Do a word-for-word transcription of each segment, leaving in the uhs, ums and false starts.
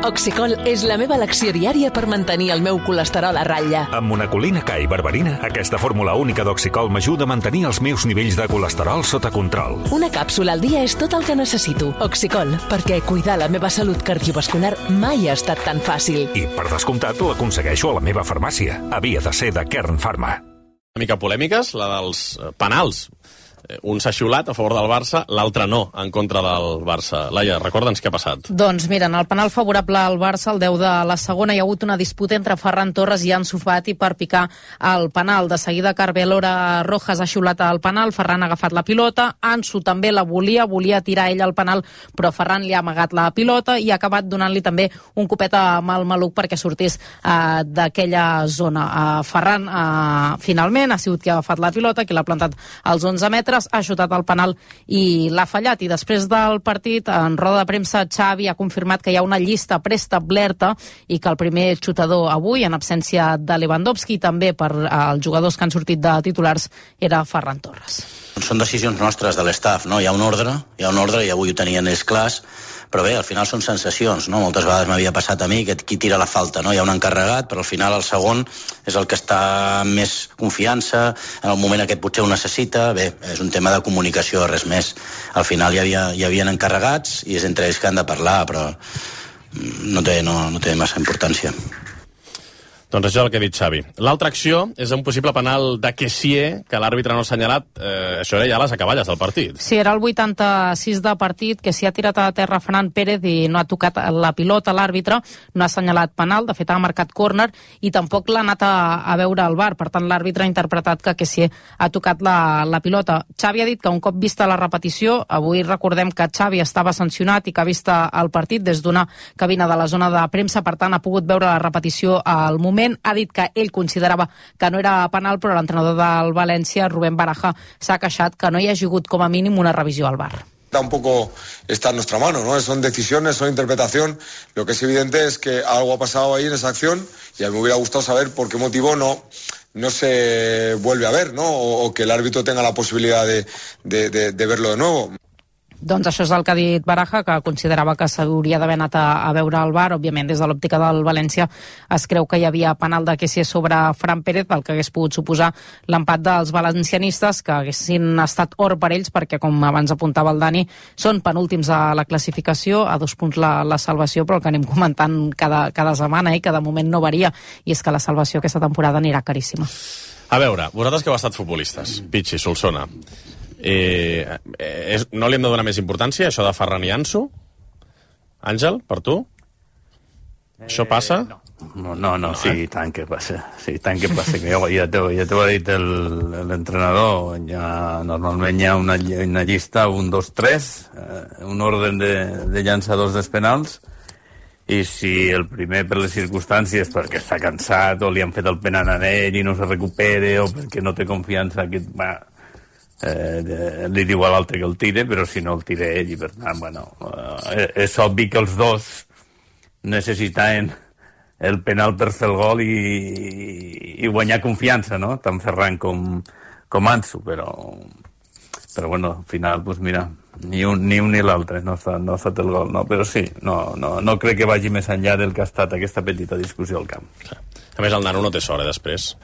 Oxicol és la meva elecció diària per mantenir el meu colesterol a ratlla. Amb monacolina K i berberina, aquesta fórmula única d'Oxicol m'ajuda a mantenir els meus nivells de colesterol sota control. Una càpsula al dia és tot el que necessito. Oxicol, perquè cuidar la meva salut cardiovascular mai ha estat tan fàcil. I, per descomptat, l'aconsegueixo a la meva farmàcia. Havia de ser de Kern Pharma. Una mica polèmiques, la dels penals. Un s'ha xiulat a favor del Barça, l'altre no, en contra del Barça. Laia, recorda'ns què ha passat. Doncs mira, en el penal favorable al Barça, el deu de la segona, hi ha hagut una disputa entre Ferran Torres i Ansu Fati per picar el penal. De seguida, Carvalora Rojas ha xiulat el penal, Ferran ha agafat la pilota, Ansu també la volia, volia tirar ell el penal, però Ferran li ha amagat la pilota i ha acabat donant-li també un copet amb el maluc perquè sortís uh, d'aquella zona. Uh, Ferran, uh, finalment, ha sigut qui ha agafat la pilota, qui l'ha plantat als onze metres, ha xutat el penal i l'ha fallat. I després del partit, en roda de premsa, Xavi ha confirmat que hi ha una llista preestablerta i que el primer xutador avui, en absència de Lewandowski, també per als jugadors que han sortit de titulars, era Ferran Torres. Són decisions nostres de l'estaf, no? Hi ha un ordre, hi ha un ordre i avui ho tenien ells clars, però bé, al final són sensacions, no? Moltes vegades m'havia passat a mi que qui tira la falta, no? Hi ha un encarregat, però al final el segon és el que està amb més confiança, en el moment aquest potser ho necessita, bé, és un tema de comunicació, res més. Al final hi havia, hi havia encarregats i és entre ells que han de parlar, però no té, no, no té massa importància. Doncs això és el que ha dit Xavi. L'altra acció és un possible penal de Kessié, que l'àrbitre no ha assenyalat. Eh, això era ja les acaballes del partit. Sí, era el vuitanta-sis de partit, que s'hi ha tirat a terra Ferran Pérez i no ha tocat la pilota. L'àrbitre no ha assenyalat penal, de fet ha marcat córner i tampoc l'ha anat a, a veure al V A R. Per tant, l'àrbitre ha interpretat que Kessié ha tocat la, la pilota. Xavi ha dit que un cop vista la repetició, avui recordem que Xavi estava sancionat i que ha vist el partit des d'una cabina de la zona de premsa, per tant ha pogut veure la repetició al moment. Ha dit que ell considerava que no era penal, però l'entrenador del València, Rubén Baraja, s'ha queixat que no hi hagi hagut com a mínim una revisió al V A R. Tampoco está en nuestra mano, ¿no? Son decisiones, son interpretación. Lo que es evidente es que algo ha pasado ahí en esa acción y a mí me hubiera gustado saber por qué motivo no, no se vuelve a ver, ¿no? O, o que el árbitro tenga la posibilidad de, de, de, de verlo de nuevo. Doncs això és el que ha dit Baraja, que considerava que s'hauria d'haver anat a, a veure al V A R. Òbviament, des de l'òptica del València es creu que hi havia penal de Kessié sobre Fran Pérez, el que hagués pogut suposar l'empat dels valencianistes, que haguessin estat or per ells, perquè, com abans apuntava el Dani, són penúltims a la classificació, a dos punts la, la salvació, però el que anem comentant cada, cada setmana i eh, que de moment no varia, i és que la salvació aquesta temporada anirà caríssima. A veure, vosaltres que heu estat futbolistes, Pichi, Solsona, Eh, eh, no li hem de donar més importància això de Ferran i Ansu? Àngel, per tu? Eh, això passa? No, no, no, no sí, i tant que passa. Sí, tant que passa. Que jo, ja t'ho ja ha dit l'entrenador. Ja, normalment hi ha una, una llista, un, dos, tres, eh, un ordre de, de llançadors dels penals, i si el primer per les circumstàncies, perquè està cansat o li han fet el penal a ell i no se recupere, o perquè no té confiança que... Va, Eh, li diu a l'altre que el tire, però si no el tira ell, i per tant, bueno, eh, és obvi que els dos necessitaven el penal per fer el gol i, i guanyar confiança, no? Tant Ferran com, com Ansu, però però bueno, al final, pues mira, ni un ni, un ni l'altre no ha, estat, no ha estat el gol, no? Però sí, no, no, no crec que vagi més enllà del que ha estat aquesta petita discussió al camp. A més, el nano no té sort, eh, després.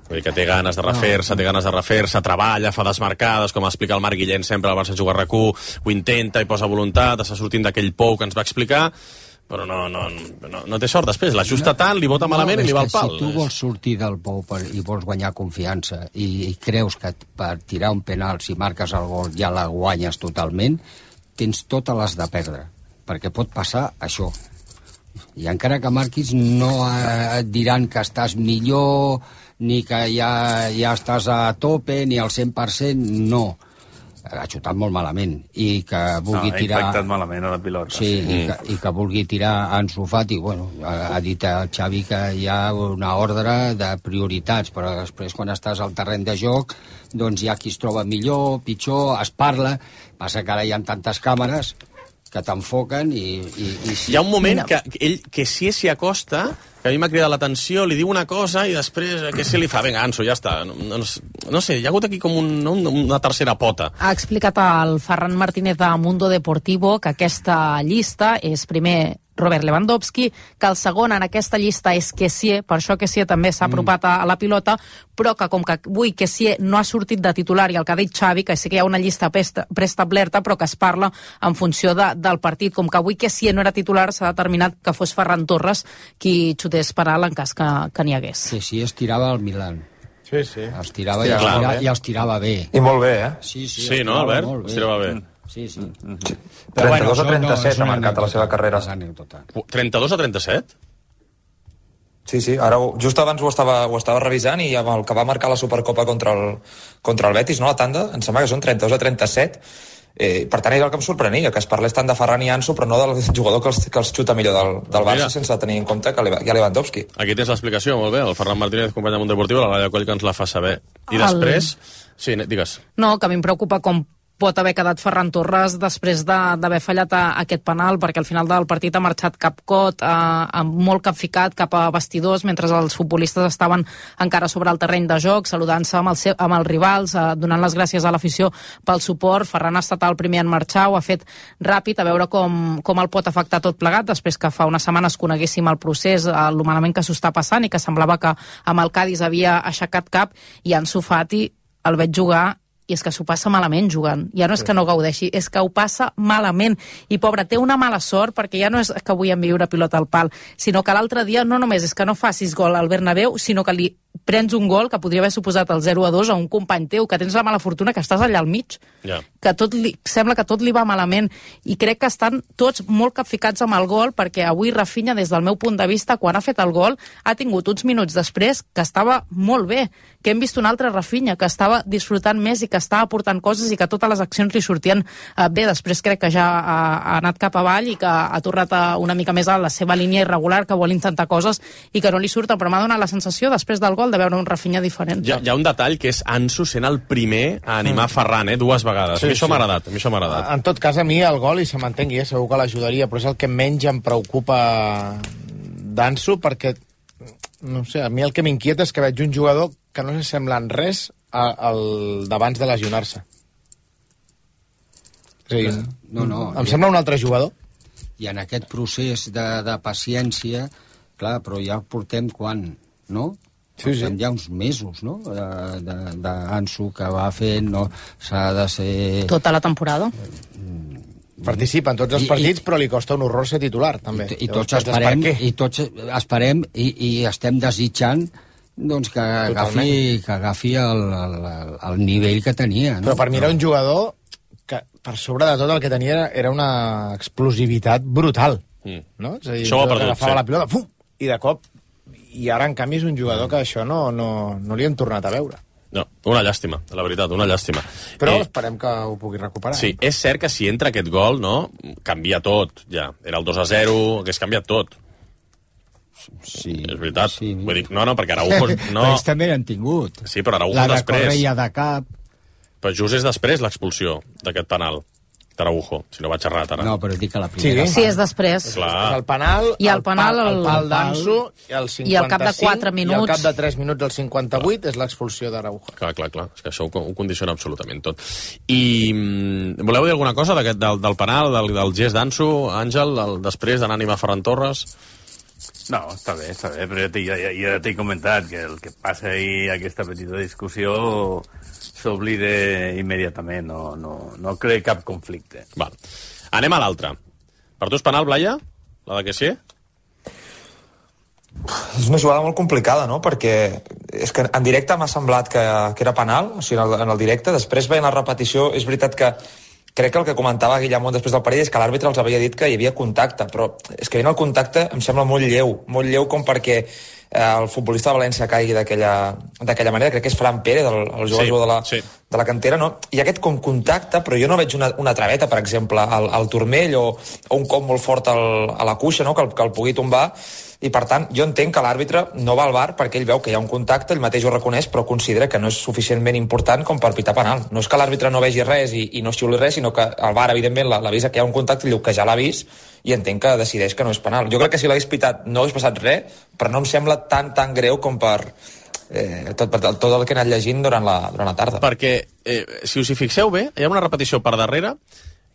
Vull dir que té ganes de refer-se, té ganes de refer-se, treballa, fa desmarcades, com explica el Marc Guillén sempre al Barça Juga R Q, ho intenta i posa voluntat, està sortint d'aquell pou que ens va explicar, però no, no, no, no té sort després, l'ajusta no, tant, li bota malament no, i li va al pal. Si tu vols sortir del pou per, i vols guanyar confiança i, i creus que per tirar un penal, si marques el gol, ja la guanyes totalment, tens totes les de perdre, perquè pot passar això. I encara que marquis no et diran que estàs millor, ni que ja, ja estàs a tope, ni al cent per cent, no. Ha xutat molt malament. I que vulgui no, tirar... Ha impactat malament a la pilota. Sí, sí. I, que, i que vulgui tirar Ansu Fati, bueno, ha, ha dit el Xavi que hi ha una ordre de prioritats, però després quan estàs al terreny de joc, doncs hi ha qui es troba millor, pitjor, es parla, passa que ara hi ha tantes càmeres que t'enfoquen i, i, i sí. Hi ha un moment que ell, que si s'hi acosta, que a mi m'ha cridat l'atenció, li diu una cosa i després que si li fa, vinga, Ansu, ja està. No, no, no sé, hi ha hagut aquí com un, una tercera pota. Ha explicat el Ferran Martínez de Mundo Deportivo que aquesta llista és primer Robert Lewandowski, que el segon en aquesta llista és Kessié, per això Kessié també s'ha apropat a, a la pilota, però que com que avui Kessié no ha sortit de titular, i el que ha dit Xavi, que sí que hi ha una llista preestablerta, però que es parla en funció de, del partit. Com que avui Kessié no era titular, s'ha determinat que fos Ferran Torres qui xutés penal en cas que, que n'hi hagués. Kessié es tirava al Milan. Sí, sí. Els tirava, i, els tirava i els tirava bé. I molt bé, eh? Sí, sí, sí no, Albert? Els tirava bé. Sí, sí. Mm. sí. trenta-dos a trenta-set ha marcat a la seva carrera. trenta-dos a trenta-set? Sí, sí, ara just abans ho estava, ho estava revisant i amb el que va marcar la Supercopa contra el, contra el Betis, no, la tanda, em sembla que són trenta-dos a trenta-set. Eh, per tant, és el que em sorprenia, que es parlés tant de Ferran i Ansu, però no del jugador que els, que els xuta millor del, del Barça, sense tenir en compte que hi ha Lewandowski. Aquí tens l'explicació, molt bé. El Ferran Martínez, company de Monteportiu, la Laia Coll, que ens la fa saber. I després... El... Sí, digues. No, que a mi em preocupa com pot haver quedat Ferran Torres després d'haver fallat a, a aquest penal, perquè al final del partit ha marxat capcot, eh, molt capficat cap a vestidors, mentre els futbolistes estaven encara sobre el terreny de joc, saludant-se amb, el amb els rivals, eh, donant les gràcies a l'afició pel suport. Ferran ha estat el primer en marxar, ho ha fet ràpid, a veure com, com el pot afectar tot plegat, després que fa unes setmanes coneguéssim el procés, eh, el malament que s'ho està passant, i que semblava que amb el Cádiz havia aixecat cap, i Ansu Fati el veig jugar i és que s'ho passa malament jugant. Ja no és que no gaudeixi, és que ho passa malament. I, pobre, té una mala sort, perquè ja no és que avui enviure pilota al pal, sinó que l'altre dia no només és que no facis gol al Bernabéu, sinó que li prens un gol que podria haver suposat el zero a dos a un company teu, que tens la mala fortuna que estàs allà al mig, yeah. que tot li, sembla que tot li va malament, i crec que estan tots molt capficats amb el gol, perquè avui Rafinha, des del meu punt de vista, quan ha fet el gol, ha tingut uns minuts després que estava molt bé, que hem vist un altre Rafinha, que estava disfrutant més i que estava aportant coses i que totes les accions li sortien eh, bé. Després crec que ja ha, ha anat cap avall i que ha tornat a, una mica més a la seva línia irregular, que vol intentar coses i que no li surten, però m'ha donat la sensació, després del gol, de veure un Rafinha diferent. Hi ha, hi ha un detall que és Ansu sent el primer a animar mm. Ferran, eh, dues vegades. Sí, a mi això sí. m'ha agradat, a mi això m'ha agradat. En tot cas, a mi el gol, i se m'entengui, eh, segur que l'ajudaria, però és el que menys em preocupa d'Ansu, perquè, no sé, a mi el que m'inquieta és que veig un jugador que no s'assembla en res al d'abans de lesionar-se. És a dir, no, no, em ja... sembla un altre jugador. I en aquest procés de, de paciència, clar, però ja portem quan, no? Sí, sí. Ja uns mesos, no?, d'Ansu, que va fent, no, s'ha de ser... Tota la temporada. Participa en tots els partits, I, però li costa un horror ser titular, també. I, i tots esperem, i tots esperem i, i estem desitjant doncs que agafi, que agafi el, el, el nivell que tenia. No? Però per mi era un jugador que, per sobre de tot, el que tenia era una explosivitat brutal. Mm. No? És a dir, això ho ha perdut, agafava sí. la pilota, fum, i de cop... I ara, en canvi, és un jugador que això no, no, no li hem tornat a veure. No, una llàstima, la veritat, una llàstima. Però eh, esperem que ho pugui recuperar. Sí, eh? És cert que si entra aquest gol, no, canvia tot, ja. Era el dos a zero, hagués canviat tot. Sí. És veritat. Sí. Vull dir, no, no, perquè Araujo... No... Ells també n'han tingut. Sí, però Araujo la després. La de Correia de cap... Però just és després l'expulsió d'aquest penal. Araujo, si no vaig errat ara. No, però dic que la primera... Sí, sí és després. Clar. El penal, I el, penal, el, el pal d'Ansu, el cinquanta-cinc, i al cap de quatre minuts... I al cap de tres minuts, el cinquanta-vuit, és l'expulsió d'Araujo. Clar, clar, clar. És que això ho, ho condiciona absolutament tot. I mm, voleu dir alguna cosa del, del penal, del, del gest d'Ansu, Àngel, el, després d'anar a animar Ferran Torres? No, està bé, està bé, però ja, ja, ja t'he comentat que el que passa ahir, aquesta petita discussió... s'oblida immediatament, no, no, no crea cap conflicte. Val. Anem a l'altra. Per tu és penal, Blaya? La de que sí? És una jugada molt complicada, no? Perquè és que en directe m'ha semblat que, que era penal, o sigui, en el, en el directe. Després, veient la repetició, és veritat que crec que el que comentava Guillamón després del partit és que l'àrbitre els havia dit que hi havia contacte, però és que veient el contacte em sembla molt lleu, molt lleu com perquè el futbolista de València caigui d'aquella manera. Crec que és Fran Pérez, el, el jugador sí, de, la, sí. de la cantera, no? Hi ha aquest com contacte, però jo no veig una, una traveta, per exemple, al, al turmell o, o un cop molt fort al, a la cuixa, no? que, el, que el pugui tombar, i per tant jo entenc que l'àrbitre no va al V A R perquè ell veu que hi ha un contacte, ell mateix ho reconeix, però considera que no és suficientment important com per pitar penal. No és que l'àrbitre no vegi res i, i no xiuli res, sinó que el V A R evidentment l'avisa que hi ha un contacte i diu que ja l'ha vist i entenc que decideix que no és penal. Jo crec que si l'hagués pitat no hagués passat res, però no em sembla tan tan greu com per eh, tot, tot el que he anat llegint durant la, durant la tarda. Perquè, eh, si us hi fixeu bé, hi ha una repetició per darrere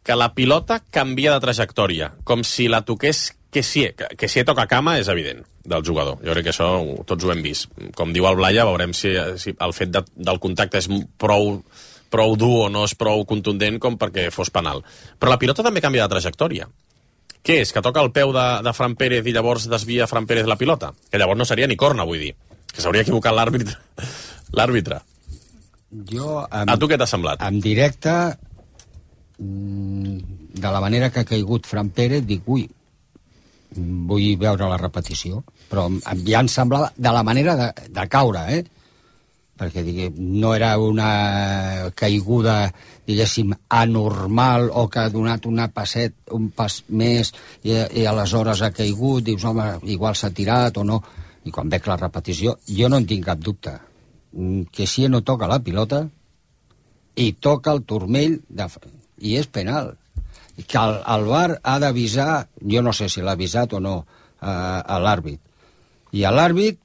que la pilota canvia de trajectòria, com si la toqués Kessié. Que si toca cama és evident, del jugador. Jo crec que això tots ho hem vist. Com diu el Blaya, veurem si, si el fet de, del contacte és prou, prou dur o no és prou contundent com perquè fos penal. Però la pilota també canvia de trajectòria. Què és? Que toca el peu de, de Fran Pérez i llavors desvia Fran Pérez la pilota? Que llavors no seria ni corna, vull dir. Que s'hauria equivocat l'àrbitre. L'àrbitre. Jo, amb, a tu què t'ha semblat? En directe, de la manera que ha caigut Fran Pérez, dic, ui, vull veure la repetició. Però ja em semblava de la manera de, de caure, eh? Perquè digue, no era una caiguda, diguéssim, anormal o que ha donat una passet, un pas més i, i aleshores ha caigut, dius, home, igual s'ha tirat o no. I quan veig la repetició, jo no en tinc cap dubte. Que si no toca la pilota i toca el turmell de... i és penal. Que el, el V A R ha d'avisar, jo no sé si l'ha avisat o no, a, a l'àrbit. I a l'àrbit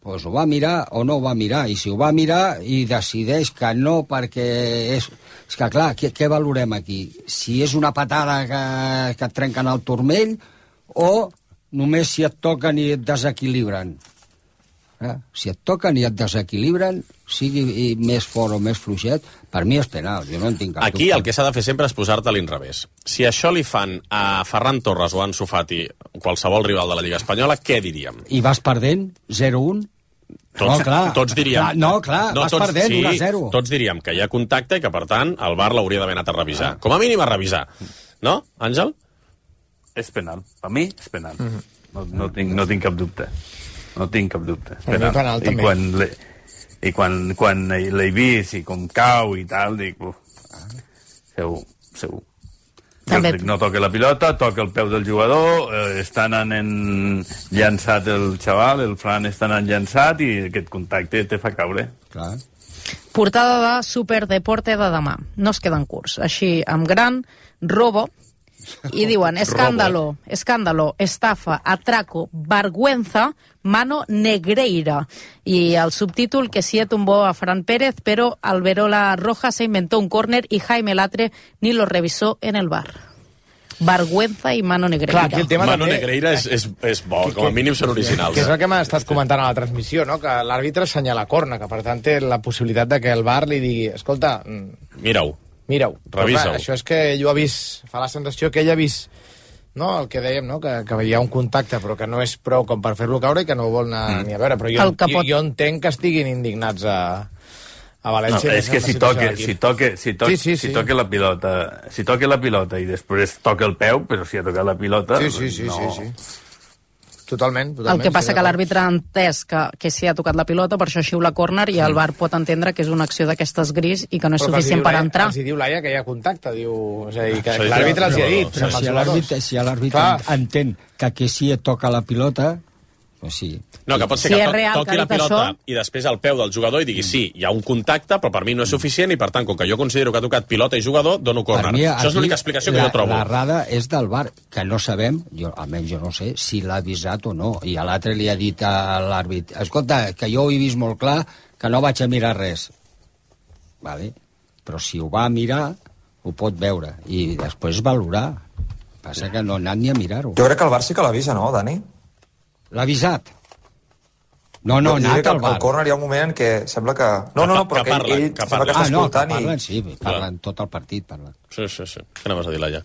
pues, ho va mirar o no ho va mirar. I si ho va mirar i decideix que no perquè és... És que, clar, què, què valorem aquí? Si és una patada que, que et trenquen el turmell o només si et toquen i et desequilibren. Eh? Si et toquen i et desequilibren, sigui més fort o més fluixet, per mi és penal, jo no en tinc cap Aquí dubte. el que s'ha de fer sempre és posar-te a l'inrevés. Si això li fan a Ferran Torres o a Ansu Fati, qualsevol rival de la Lliga Espanyola, què diríem? I vas perdent zero un? Tots, no, clar. tots diríem... Clar, no, clar, no, vas tots, perdent sí, un a zero. Tots diríem que hi ha contacte i que, per tant, el V A R l'hauria d'haver anat a revisar. Com a mínim a revisar. No, Àngel? És penal. Per mi és penal. Mm-hmm. No, no, tinc, no tinc cap dubte. No tinc cap dubte. És penal. penal I quan, le, i quan, quan l'he vist i com cau i tal, dic, uf, segur, segur. També... No toca la pilota, toca el peu del jugador, eh, està anant en llançat el xaval, el Fran està anant llançat i aquest contacte te fa caure. Clar. Portada de Superdeporte de demà. No es queden curts. Així, amb gran, robo, i diuen, escándalo, escándalo, estafa, atraco, vergüenza, mano negreira. Y el subtítulo, que sí tumbó a Fran Pérez, pero Alberola Roja se inventó un córner y Jaime Latre ni lo revisó en el V A R. Vergüenza i mano negreira. Clar, el tema mano també... negreira és, és, és bo, que, com a mínim són originals. Que és el que m'ha estat comentant a la transmissió, no? Que l'àrbitre assenyala corna, que per tant té la possibilitat de que el V A R li digui, escolta... Mira-ho. Mira-ho. Revisa-ho. Això és que ell ho ha vist, fa la sensació que ell ha vist, no? El que dèiem, no? Que, que hi ha un contacte, però que no és prou com per fer-lo caure i que no ho vol anar mm. ni a veure. Però jo, pot... jo, jo entenc que estiguin indignats a, a València. No, és que si toque, si toque, si toque, sí, sí, sí. si toque la pilota, si toque la pilota i després toca el peu, però si ha tocat la pilota... Sí, sí, sí, no... sí, sí. Totalment, totalment. El que passa sí, que l'àrbitre ha entès que, que s'hi ha tocat la pilota, per això xiula córner, i el V A R pot entendre que és una acció d'aquestes gris i que no és però suficient per entrar. Els hi diu l'Aia que hi ha contacte, diu... És a dir, que sí, l'àrbitre els hi ha dit. Però si l'àrbitre si l'àrbitre entén que que si et toca la pilota, pues sí. No, que pot ser si que to real, toqui la pilota això... i després el peu del jugador i digui sí, hi ha un contacte, però per mi no és suficient i per tant, com que jo considero que ha tocat pilota i jugador, dono córner. Això és l'única explicació que la, jo trobo. L'errada és del V A R, que no sabem, jo, almenys jo no sé, si l'ha avisat o no. I a l'altre li ha dit a l'àrbit, escolta, que jo ho he vist molt clar, que no vaig a mirar res. Vale. Però si ho va mirar, ho pot veure. I després valorar. Passa que no ha anat ni a mirar-ho. Jo crec que el V A R sí que l'avisa, no, Dani? L'ha avisat? No, no, no ha anat al V A R. Al córner hi ha un moment en què sembla que... No, no, no, però que, que, parlen, ell, que, ell sembla que està ah, no, escoltant que parlen, i... sí, parlen tot el partit, parlen. Sí, sí, sí. Què anaves a dir, Laia?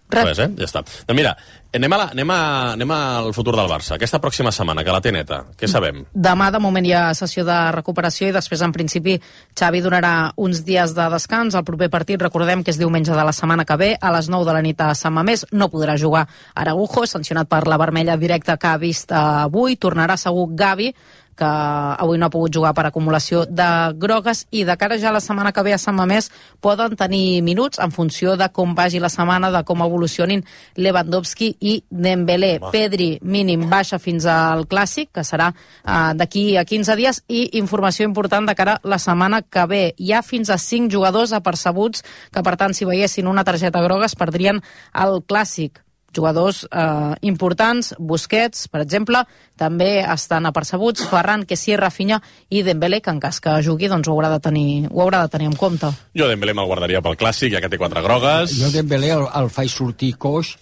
Res, eh? Ja està. Doncs mira, anem, a la, anem, a, anem al futur del Barça. Aquesta pròxima setmana, que la té neta, què sabem? Demà, de moment, hi ha sessió de recuperació i després, en principi, Xavi donarà uns dies de descans. El proper partit, recordem que és diumenge de la setmana que ve, a les nou de la nit a Sant Mamés. No podrà jugar Araujo, sancionat per la vermella directa que ha vist avui. Tornarà segur Gavi, que avui no ha pogut jugar per acumulació de grogues, i de cara ja a la setmana que ve a Sant Mamés poden tenir minuts en funció de com vagi la setmana, de com evolucionin Lewandowski i Dembélé. Va. Pedri, mínim, baixa fins al Clàssic, que serà uh, d'aquí a quinze dies, i informació important de cara a la setmana que ve. Hi ha fins a cinc jugadors apercebuts que, per tant, si veiessin una targeta groga es perdrien el Clàssic. jugadors eh, importants, Busquets, per exemple, també estan apercebuts, Ferran, Kessié, Rafinha i Dembélé, que en cas que jugui doncs ho haurà de tenir, ho haurà de tenir en compte. Jo Dembélé me'l guardaria pel clàssic, ja que té quatre grogues. Jo Dembélé el, el faig sortir coix,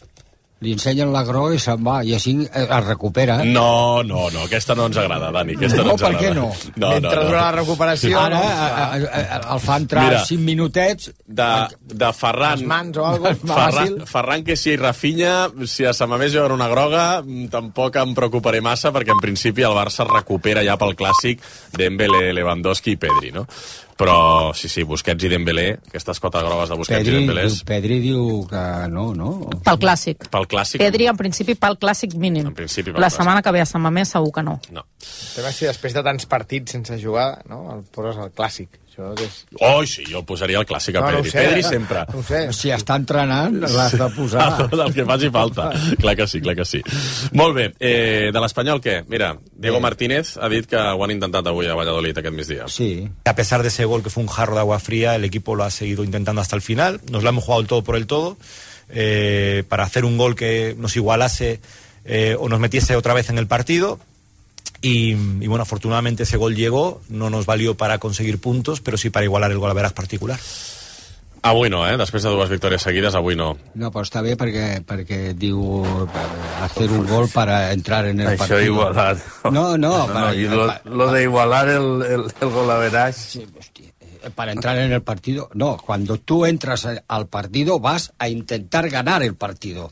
li ensenyen la groga i se'n va, i així es recupera. No, no, no, aquesta no ens agrada, Dani, aquesta no, no ens agrada. Per què no? no Mentre no, no. dura la recuperació... Ara a, a, a, el fa entrar Mira, cinc minutets... De, de Ferran... Les mans o alguna cosa. Ferran, Ferran que si i Rafinha, si a sa mamés veure una groga, tampoc em preocuparé massa, perquè en principi el Barça recupera ja pel clàssic Dembélé, Lewandowski i Pedri, no? Però, sí, sí, Busquets i Dembélé, aquestes quatre grogues de Busquets Pedri, i Dembélé... Pedri diu que no, no? Pel clàssic. Pel clàssic. Pedri, en principi, pel clàssic mínim. En principi, pel La clàssic. setmana que ve a Sant Mamés segur que no. No. Tema si després de tants partits sense jugar, no? El poses al clàssic. Això és... Oh, sí, jo el posaria al clàssic a No, no Pedri. ho sé, Pedri eh? sempre. No ho sé. Si està entrenant, l'has de posar. El que faci falta. Clar que sí, clar que sí. Molt bé, eh, de l'Espanyol què? Mira, Diego Martínez ha dit que ho han intentat avui a Valladolid aquest migdia. Sí. A pesar de ese gol que fue un jarro de agua fría, el equipo lo ha seguido intentando hasta el final. Nos lo hemos jugado el todo por el todo eh, para hacer un gol que nos igualase eh, o nos metiese otra vez en el partido. Y, y bueno, afortunadamente ese gol llegó, no nos valió para conseguir puntos, pero sí para igualar el golaveras particular. Avui no, eh? Després de dues victòries seguides, avui no. No, però està bé perquè, perquè diu hacer un gol para entrar en el Això partido. igualar. No, no. no, para, no y lo, para, lo de igualar el, el, el golaveras. Sí, hostia, para entrar en el partido. No, cuando tú entras al partido vas a intentar ganar el partido.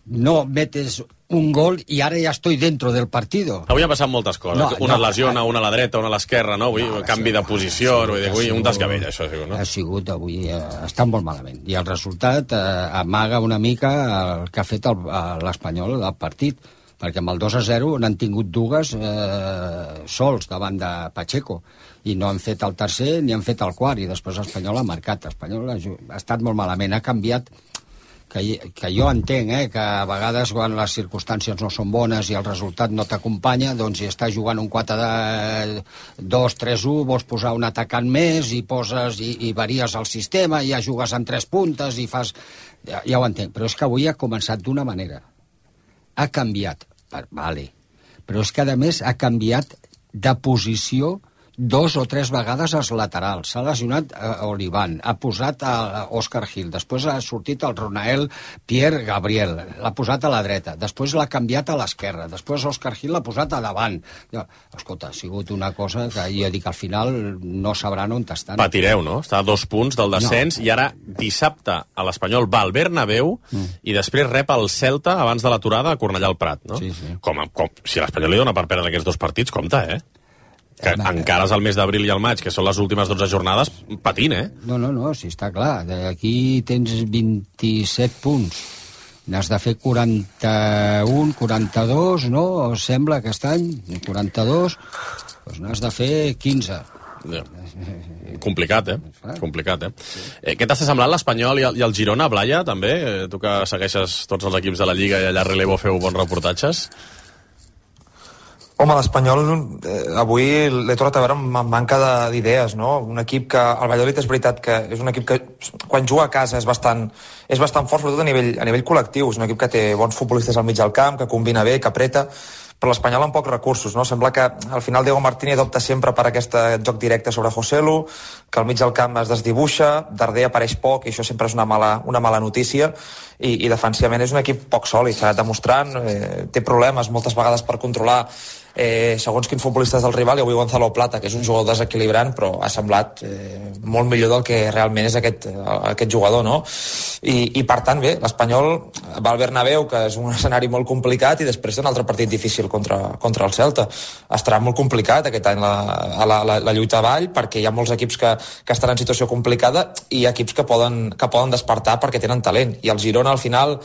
No metes un gol i ara ja estoy dentro del partido. Avui ha passat moltes coses. No, una no, lesiona, una a la dreta, una a l'esquerra, no? Avui no, canvi de posició, sigut, vull dir, avui un desgavell, això ha sigut, no? Ha sigut avui, eh, està molt malament. I el resultat eh, amaga una mica el que ha fet el- l'Espanyol al partit, perquè amb el dos a zero n'han tingut dues eh, sols davant de Pacheco, i no han fet el tercer ni han fet el quart, i després l'Espanyol ha marcat. L'Espanyol ha, ju- ha estat molt malament, ha canviat, que, que jo entenc, eh, que a vegades quan les circumstàncies no són bones i el resultat no t'acompanya, doncs si estàs jugant un quatre de dos tres u, vols posar un atacant més i poses i, i varies el sistema, i ja jugues amb tres puntes i fas... Ja, ja ho entenc, però és que avui ha començat d'una manera. Ha canviat, per, vale, però és que a més ha canviat de posició dos o tres vegades als laterals. S'ha lesionat eh, Olivan, ha posat a Òscar Gil, després ha sortit el Ronael Pierre Gabriel, l'ha posat a la dreta, després l'ha canviat a l'esquerra, després Òscar Gil l'ha posat a davant. Ja, escolta, ha sigut una cosa que jo dic, al final no sabran on estan. Patireu, no? Està a dos punts del descens, no. I ara dissabte a l'Espanyol va al Bernabéu mm. i després rep el Celta abans de l'aturada a Cornellà al Prat, no? Sí, sí. Com, com, si l'Espanyol li dona per perdre aquests dos partits, compte, eh? Que encara és el mes d'abril i el maig, que són les últimes dotze jornades, patint, eh? No, no, no, sí, està clar. Aquí tens vint-i-set punts. N'has de fer quaranta-un, quaranta-dos, no? Sembla aquest any, quaranta-dos, doncs n'has de fer quinze. Ja. Complicat, eh? Complicat, eh? eh què t'està semblant l'Espanyol i, el, i el Girona, Blaya, també? Eh, tu que segueixes tots els equips de la Lliga i allà a Relevo feu bons reportatges. Home, l'Espanyol eh, avui l'he tornat a veure amb manca d'idees, no? Un equip que, el Valladolid és veritat que és un equip que quan juga a casa és bastant, és bastant fort, sobretot a nivell, a nivell col·lectiu. És un equip que té bons futbolistes al mig del camp, que combina bé, que apreta, però l'Espanyol amb pocs recursos, no? Sembla que al final Diego Martínez opta sempre per aquest joc directe sobre Joselu, que al mig del camp es desdibuixa, Darder apareix poc, i això sempre és una mala, una mala notícia, i, i defensivament és un equip poc sòlid, s'ha anat demostrant, eh, té problemes moltes vegades per controlar eh, segons quins futbolistes del rival, i avui Gonzalo Plata, que és un jugador desequilibrant, però ha semblat eh, molt millor del que realment és aquest, aquest jugador, no? I, i per tant, bé, l'Espanyol va al Bernabéu, que és un escenari molt complicat, i després té un altre partit difícil contra, contra el Celta. Estarà molt complicat aquest any la, la, la, la lluita avall, perquè hi ha molts equips que, que estan en situació complicada, i equips que poden, que poden despertar perquè tenen talent, i el Girona al final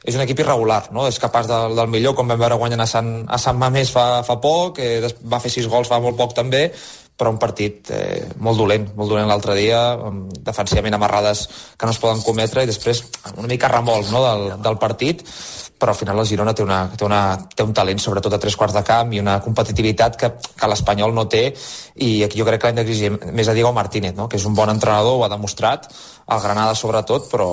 és un equip irregular, no? És capaç de, del millor, com vam veure guanyant a Sant, a Sant Mamés fa, fa poc, eh, va fer sis gols fa molt poc també, però un partit eh, molt dolent, molt dolent l'altre dia, amb, defensivament amb errades que no es poden cometre, i després una mica remolc, no? del, del partit, però al final el Girona té, una, té, una, té un talent, sobretot a tres quarts de camp, i una competitivitat que, que l'Espanyol no té, i aquí jo crec que l'hem d'exigir més a Diego Martínez, no? Que és un bon entrenador, ho ha demostrat, el Granada sobretot, però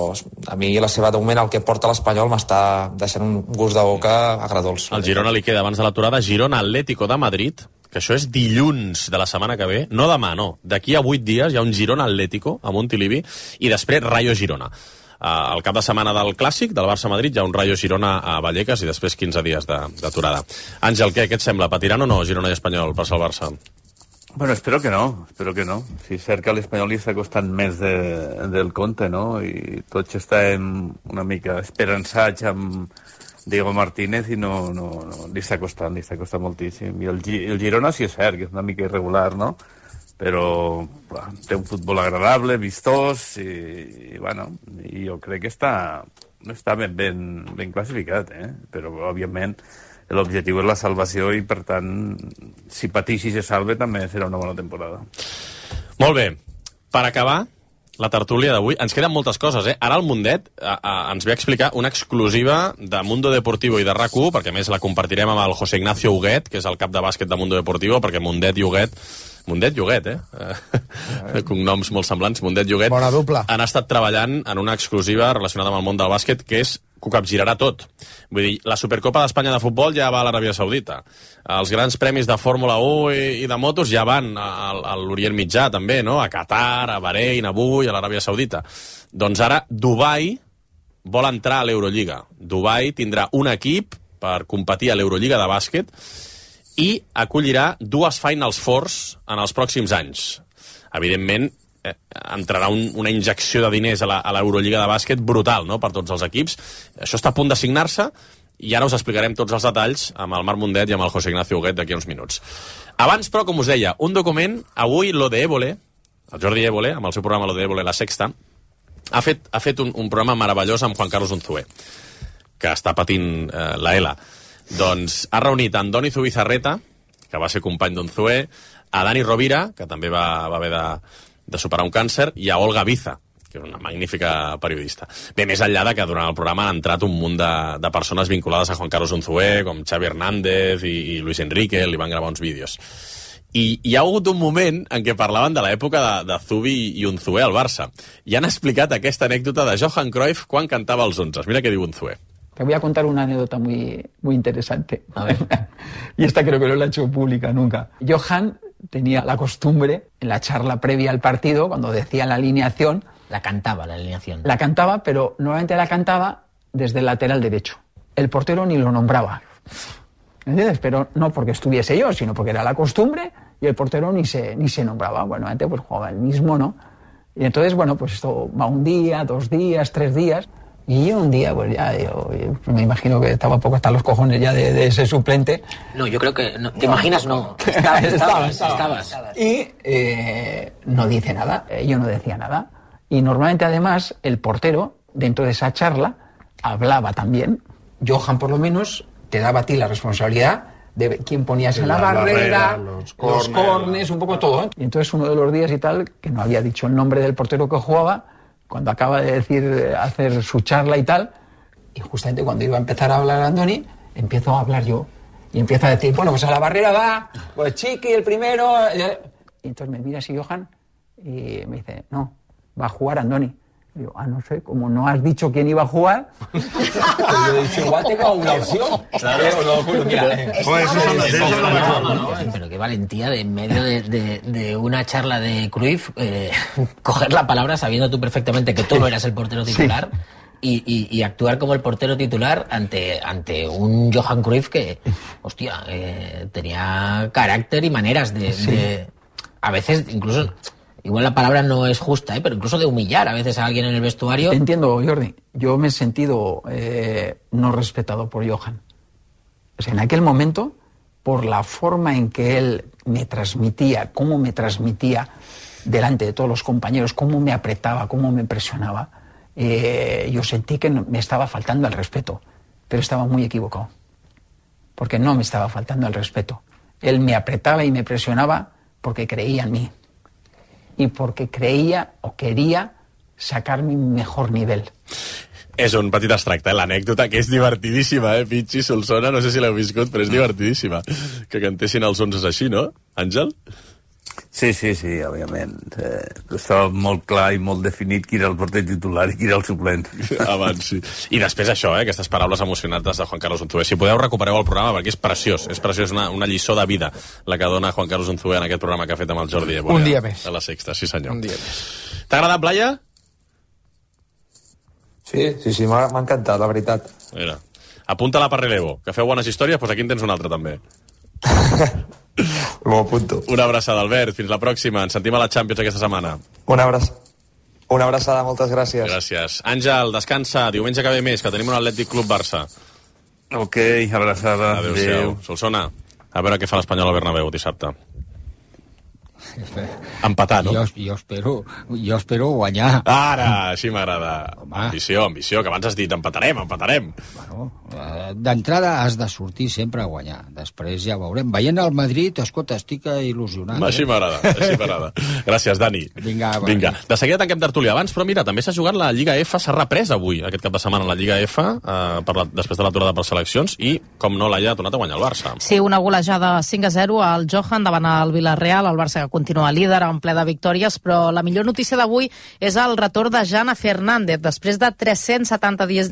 a mi la seva, de moment, el que porta l'Espanyol m'està deixant un gust de boca agradolç. Al Girona li queda, abans de l'aturada, Girona Atlético de Madrid, que això és dilluns de la setmana que ve, no demà, no. D'aquí a vuit dies hi ha un Girona Atlético a Montilivi i després Rayo Girona. Uh, el cap de setmana del Clàssic, del Barça-Madrid, hi ha un Rayo Girona a Vallecas i després quinze dies d'aturada. Àngel, què, què et sembla? Patiran o no Girona i Espanyol per al Barça? Bueno, espero que no, espero que no. Si és cert que l'Espanyol li està costant més de, del compte, no? I tots estem una mica esperançats amb Diego Martínez i no, no, no li està costant, li està costant moltíssim. I el, el Girona sí és cert, que és una mica irregular, no? Però bueno, té un futbol agradable, vistós, i, i bueno, i jo crec que està, està ben, ben, ben classificat, eh? Però òbviament l'objectiu és la salvació i per tant, si patix i se salve també serà una bona temporada. Molt bé, per acabar la tertúlia d'avui, ens queden moltes coses, eh? Ara el Mundet a, a, ens ve a explicar una exclusiva de Mundo Deportivo i de RAC u, perquè a més la compartirem amb el José Ignacio Huguet, que és el cap de bàsquet de Mundo Deportivo, perquè Mundet i Huguet Mundet i Huguet, eh? eh? Cognoms molt semblants, Mundet i Huguet. Bona dupla. Han estat treballant en una exclusiva relacionada amb el món del bàsquet que és que ho capgirarà tot. Vull dir, la Supercopa d'Espanya de futbol ja va a l'Aràbia Saudita. Els grans premis de Fórmula u i, i de motos ja van a, a l'Orient Mitjà, també, no? A Qatar, a Bahrein, avui, a l'Aràbia Saudita. Doncs ara Dubai vol entrar a l'Eurolliga. Dubai tindrà un equip per competir a l'Eurolliga de bàsquet i acollirà dues Finals Fours en els pròxims anys. Evidentment, eh, entrarà un, una injecció de diners a l'Eurolliga de bàsquet brutal, no?, per tots els equips. Això està a punt de signar-se i ara us explicarem tots els detalls amb el Marc Mundet i amb el José Ignacio Huguet d'aquí uns minuts. Abans, però, com us deia, un document, avui lo de Évole, el Jordi Évole, amb el seu programa Lo de Évole, La Sexta, ha fet, ha fet un, un programa meravellós amb Juan Carlos Unzué, que està patint eh, la E L A. Doncs ha reunit a Andoni Zubizarreta, que va ser company d'Unzué, a Dani Rovira, que també va, va haver de, de superar un càncer, i a Olga Biza, que és una magnífica periodista. Bé, més enllà de que durant el programa han entrat un munt de, de persones vinculades a Juan Carlos Unzué, com Xavi Hernández i, i Luis Enrique, li van gravar uns vídeos. I hi ha hagut un moment en què parlaven de l'època de, de Zubi i Unzué al Barça. I han explicat aquesta anècdota de Johan Cruyff quan cantava els onzes. Mira què diu Unzué. Te voy a contar una anécdota muy, muy interesante. A ver. Y esta creo que no la he hecho pública nunca. Johan tenía la costumbre, en la charla previa al partido, cuando decía la alineación... La cantaba, la alineación. La cantaba, pero normalmente la cantaba desde el lateral derecho. El portero ni lo nombraba. ¿Entiendes? Pero no porque estuviese yo, sino porque era la costumbre y el portero ni se, ni se nombraba. Bueno, antes pues jugaba el mismo, ¿no? Y entonces, bueno, pues esto va un día, dos días, tres días... Y yo un día, pues ya, yo, yo me imagino que estaba poco hasta los cojones ya de, de ese suplente. No, yo creo que... No, ¿te imaginas? No. Estabas, estabas, estabas. estabas. Y eh, no dice nada, eh, yo no decía nada. Y normalmente, además, el portero, dentro de esa charla, hablaba también. Johan, por lo menos, te daba a ti la responsabilidad de quién ponías en la, la barrera, barrera, los corners, los corners, un poco todo. ¿eh? Y entonces uno de los días y tal, que no había dicho el nombre del portero que jugaba, cuando acaba de decir, hacer su charla y tal, y justamente cuando iba a empezar a hablar Andoni, empiezo a hablar yo. Y empiezo a decir, bueno, pues a la barrera va, pues Chiqui, el primero. Y entonces me mira así Johan y me dice, no, va a jugar Andoni. Y digo, ah, no sé, como no has dicho quién iba a jugar, pues yo he dicho, igual tengo una opción. Pero qué valentía de en medio de, de, de una charla de Cruyff, eh, coger la palabra sabiendo tú perfectamente que tú no eras el portero titular. Sí. Y, y, y actuar como el portero titular ante, ante un Johan Cruyff que, hostia, eh, tenía carácter y maneras de, sí. de... A veces, incluso... Igual la palabra no es justa, ¿eh? Pero incluso de humillar a veces a alguien en el vestuario. Entiendo, Jordi. Yo me he sentido eh, no respetado por Johan. O sea, en aquel momento, por la forma en que él me transmitía, cómo me transmitía delante de todos los compañeros, cómo me apretaba, cómo me presionaba, eh, yo sentí que me estaba faltando el respeto. Pero estaba muy equivocado. Porque no me estaba faltando el respeto. Él me apretaba y me presionaba porque creía en mí. Y porque creía o quería sacar mi mejor nivel. És un petit extracte, eh? L'anècdota, que és divertidíssima, eh? Pichi, Solsona, no sé si l'heu viscut, però és divertidíssima. Que cantessin els onzes així, no, Àngel? Sí, sí, sí, òbviament. Eh, estava molt clar i molt definit qui era el porter titular i qui era el suplent. Abans, sí. I després això, eh, aquestes paraules emocionants de Juan Carlos Unzué. Si podeu, recupereu el programa perquè és preciós. És preciós, una, una lliçó de vida la que dona Juan Carlos Unzué en aquest programa que ha fet amb el Jordi Évole. Un dia més. A la Sexta, sí senyor. Un dia més. T'ha agradat, Blaya? Sí, sí, sí, m'ha encantat, la veritat. Mira, apunta-la per relevo, que feu bones històries, doncs aquí en tens una altra també. M'ho apunto. Una abraçada, Albert, fins la pròxima. Ens sentim a la Champions aquesta setmana. Una abraçada. Una abraçada, moltes gràcies. Gràcies. Àngel, descansa, diumenge que ve més, que tenim un Atlètic Club Barça. Ok, abraçada. Adéu-siau. Solsona, a veure què fa l'Espanyol al Bernabéu dissabte. Empatar, no? Jo, jo, espero, jo espero guanyar. Ara, així m'agrada. Ambició, ambició, que abans has dit empatarem, empatarem. Bueno, d'entrada has de sortir sempre a guanyar. Després ja veurem. Veient el Madrid, escolta, estic il·lusionat. Així m'agrada, així m'agrada. Gràcies, Dani. Vinga, va. Vinga. De seguida tanquem tertúlia abans, però mira, també s'ha jugat la Lliga F, s'ha reprès avui, aquest cap de setmana, la Lliga F, eh, per la, després de l'aturada per seleccions, i, com no, l'Aia ha tornat a guanyar el Barça. Sí, una golejada cinc a zero al Johan davant el Villarreal, el Barça que continua líder en ple de victòries, però la millor notícia d'avui és el retorn de Jana Fernández. Després de tres-cents setanta dies,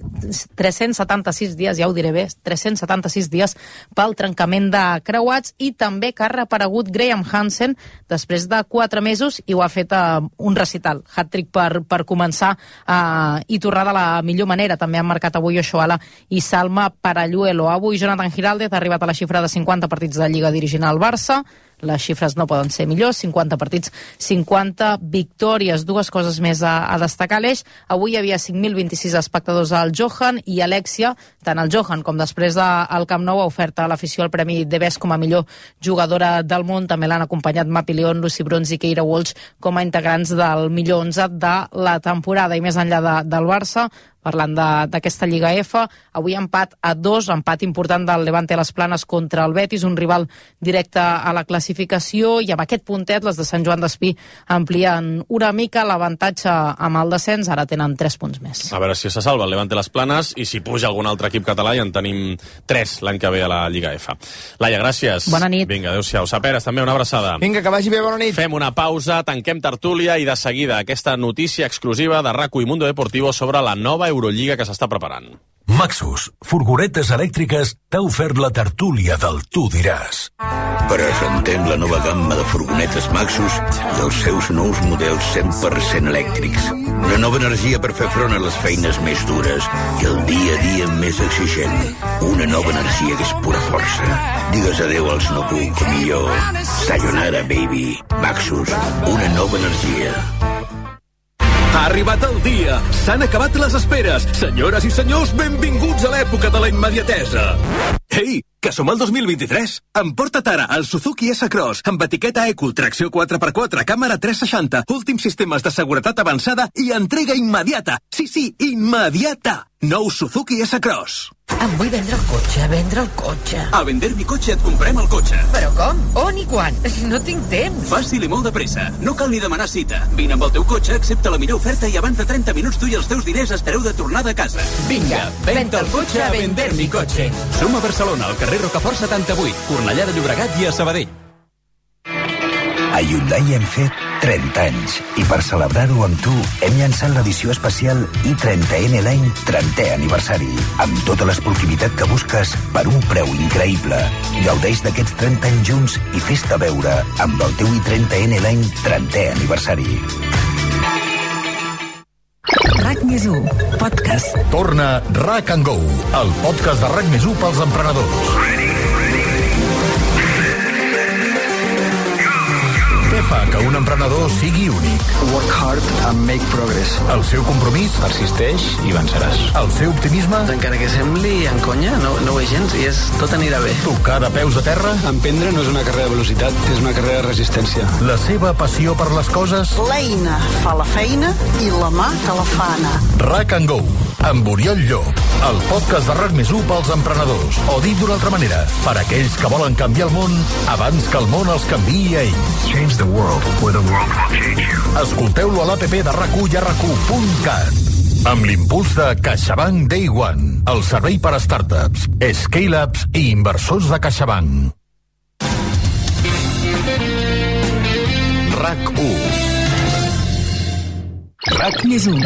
tres-cents setanta-sis dies, ja ho diré bé, tres-cents setanta-sis dies pel trencament de creuats, i també que ha reaparegut Graham Hansen després de quatre mesos i ho ha fet a un recital, hat-trick per, per començar uh, i tornar de la millor manera. També han marcat avui Oshoala i Salma Paralluelo. Avui Jonathan Giraldez ha arribat a la xifra de cinquanta partits de Lliga dirigint al Barça. Les xifres no poden ser millors, cinquanta partits, cinquanta victòries. Dues coses més a, a destacar l'eix. Avui hi havia cinc mil vint-i-sis espectadors al Johan i Alexia, tant al Johan com després del Camp Nou, ha ofert a l'afició el Premi de Best com a millor jugadora del món. També l'han acompanyat Mapi León, Lucy Bronze i Keira Walsh com a integrants del millor onze de la temporada. I més enllà de, del Barça, parlant d'aquesta Lliga F, avui empat a dos, empat important del Levante a les Planes contra el Betis, un rival directe a la classificació, i amb aquest puntet les de Sant Joan d'Espí amplien una mica l'avantatge amb el descens, ara tenen tres punts més. A veure si se salva el Levante a les Planes i si puja algun altre equip català, i en tenim tres l'any que ve a la Lliga F. Laia, gràcies. Bona nit. Vinga, adéu-siau. Saperes, també una abraçada. Vinga, que vagi bé, bona nit. Fem una pausa, tanquem tertúlia i de seguida aquesta notícia exclusiva de RACU i Mundo Deportivo sobre la nova Eurolliga que s'està preparant. Maxus, furgonetes elèctriques, t'ha ofert la tertúlia del Tu diràs. Presentem la nova gamma de furgonetes Maxus i els seus nous models cent per cent elèctrics. Una nova energia per fer front a les feines més dures i el dia a dia més exigent. Una nova energia que és pura força. Digues adeu als no puc, o millor, sayonara, baby. Maxus, una nova energia. Ha arribat el dia! S'han acabat les esperes! Senyores i senyors, benvinguts a l'època de la immediatesa! Ei, que som al dos mil vint-i-tres! Emporta't ara el Suzuki S-Cross amb etiqueta Eco, tracció quatre per quatre, càmera tres seixanta, últims sistemes de seguretat avançada i entrega immediata! Sí, sí, immediata! Nou Suzuki S-Cross. Em vull vendre el cotxe, vendre el cotxe. A Vender mi cotxe et comprem el cotxe. Però com? On i quan? No tinc temps. Fàcil i molt de pressa. No cal ni demanar cita. Vine amb el teu cotxe, accepta la millor oferta i abans de trenta minuts tu i els teus diners estareu de tornada a casa. Vinga, venta el cotxe a Vender mi cotxe. Som a Barcelona, al carrer Rocafort setanta-vuit, Cornellà de Llobregat i a Sabadell. A Hyundai hem fet trenta anys i per celebrar-ho amb tu hem llançat l'edició especial i trenta N l'any trentè aniversari amb tota l'esportivitat que busques per un preu increïble. Gaudeix d'aquests trenta anys junts i fes-te veure amb el teu i trenta N l'any trentè aniversari. RAC més u, podcast. Torna RAC and Go, el podcast de RAC més u pels emprenedors. Què fa que un emprenedor sigui únic? Work hard and make progress. El seu compromís? Persisteix i venceràs. El seu optimisme? Encara que sembli en conya, no, no ho és gens i és tot anirà bé. Tocar de peus a terra? Emprendre no és una carrera de velocitat, és una carrera de resistència. La seva passió per les coses? L'eina fa la feina i la mà te la fa anar. RAC and Go, amb Oriol Llop, el podcast de RAC més u pels emprenedors. O dit d'una altra manera, per aquells que volen canviar el món abans que el món els canviï a ells. Change the world, or the world will change you. Escolteu-lo a l'A P P de RAC u i a rac u punt cat. Amb l'impuls de CaixaBank Day One, el servei per a startups, scale-ups i inversors de CaixaBank. RAC u. RAC més u,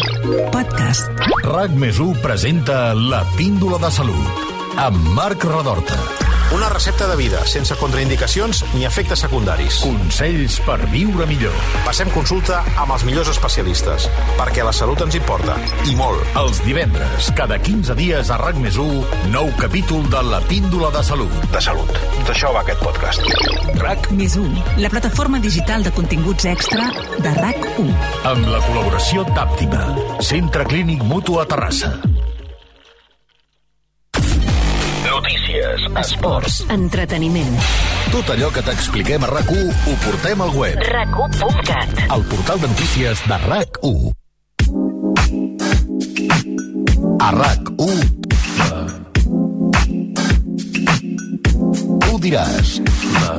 podcast. RAC més u presenta La Píndola de Salut, amb Marc Redorta. Una recepta de vida, sense contraindicacions ni efectes secundaris. Consells per viure millor. Passem consulta amb els millors especialistes, perquè la salut ens importa, i molt. Els divendres, cada quinze dies a RAC més u, nou capítol de La Píndola de Salut. De salut. D'això va aquest podcast. RAC més u, la plataforma digital de continguts extra de RAC u. Amb la col·laboració d'Àptima, Centre Clínic Mutu a Terrassa. Notícies, esports, entreteniment. Tot allò que t'expliquem a RAC u ho portem al web. RAC u punt cat. El portal de notícies de RAC u. A RAC u ho diràs,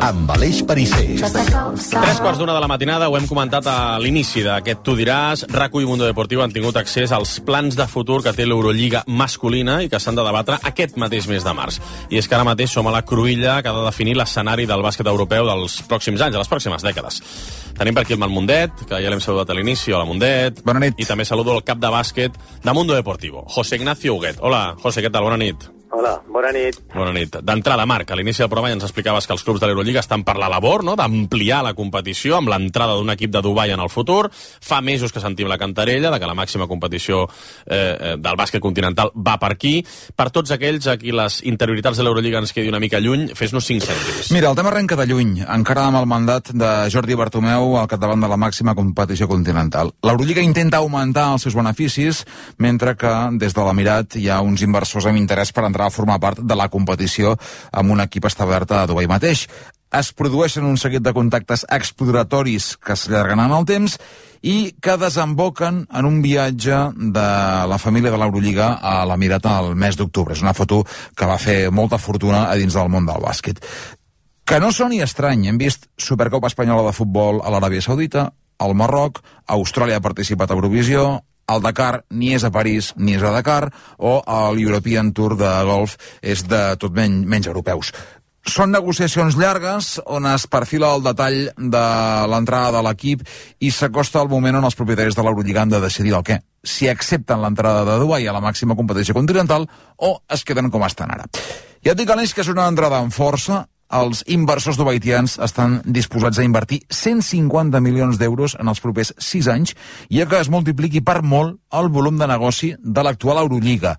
amb Aleix Perisser. Tres quarts d'una de la matinada, ho hem comentat a l'inici d'aquest Tu diràs. RAC u i Mundo Deportiu han tingut accés als plans de futur que té l'Eurolliga masculina i que s'han de debatre aquest mateix mes de març. I és que ara mateix som a la cruïlla que ha de definir l'escenari del bàsquet europeu dels pròxims anys, de les pròximes dècades. Tenim per aquí el Mundet, que ja l'hem saludat a l'inici. Hola, Mundet. Bona nit. I també saludo el cap de bàsquet de Mundo Deportivo, José Ignacio Huguet. Hola, José, què tal? Bona nit. Hola, bona nit. Bona nit. D'entrada, Marc, a l'inici del programa ja ens explicaves que els clubs de l'Eurolliga estan per la labor, no?, d'ampliar la competició amb l'entrada d'un equip de Dubai en el futur. Fa mesos que sentim la cantarella de que la màxima competició eh, del bàsquet continental va per aquí. Per tots aquells a qui les interioritats de l'Eurolliga ens quedi una mica lluny, fes-nos cinc cèntims. Mira, el tema arrenca de lluny, encara amb el mandat de Jordi Bartomeu al capdavant de la màxima competició continental. L'Eurolliga intenta augmentar els seus beneficis, mentre que des de l'Emirat hi ha uns inversors amb interès per entrar a formar part de la competició amb un equip establert a Dubai mateix. Es produeixen un seguit de contactes exploratoris que s'allarguen en el temps i que desemboquen en un viatge de la família de l'Eurolliga a l'Emirat al mes d'octubre. És una foto que va fer molta fortuna a dins del món del bàsquet. Que no soni estrany, hem vist Supercopa Espanyola de Futbol a l'Aràbia Saudita, al Marroc, Austràlia ha participat a Eurovisió, el Dakar ni és a París ni és a Dakar, o l'European Tour de golf és de tot menys, menys europeus. Són negociacions llargues on es perfila el detall de l'entrada de l'equip i s'acosta el moment on els propietaris de l'Eurolliga han de decidir el què. Si accepten l'entrada de Dubai a la màxima competició continental o es queden com estan ara. Ja et dic, Aleix, que és una entrada amb força. Els inversors dubaitians estan disposats a invertir cent cinquanta milions d'euros en els propers sis anys, ja que es multipliqui per molt el volum de negoci de l'actual Eurolliga.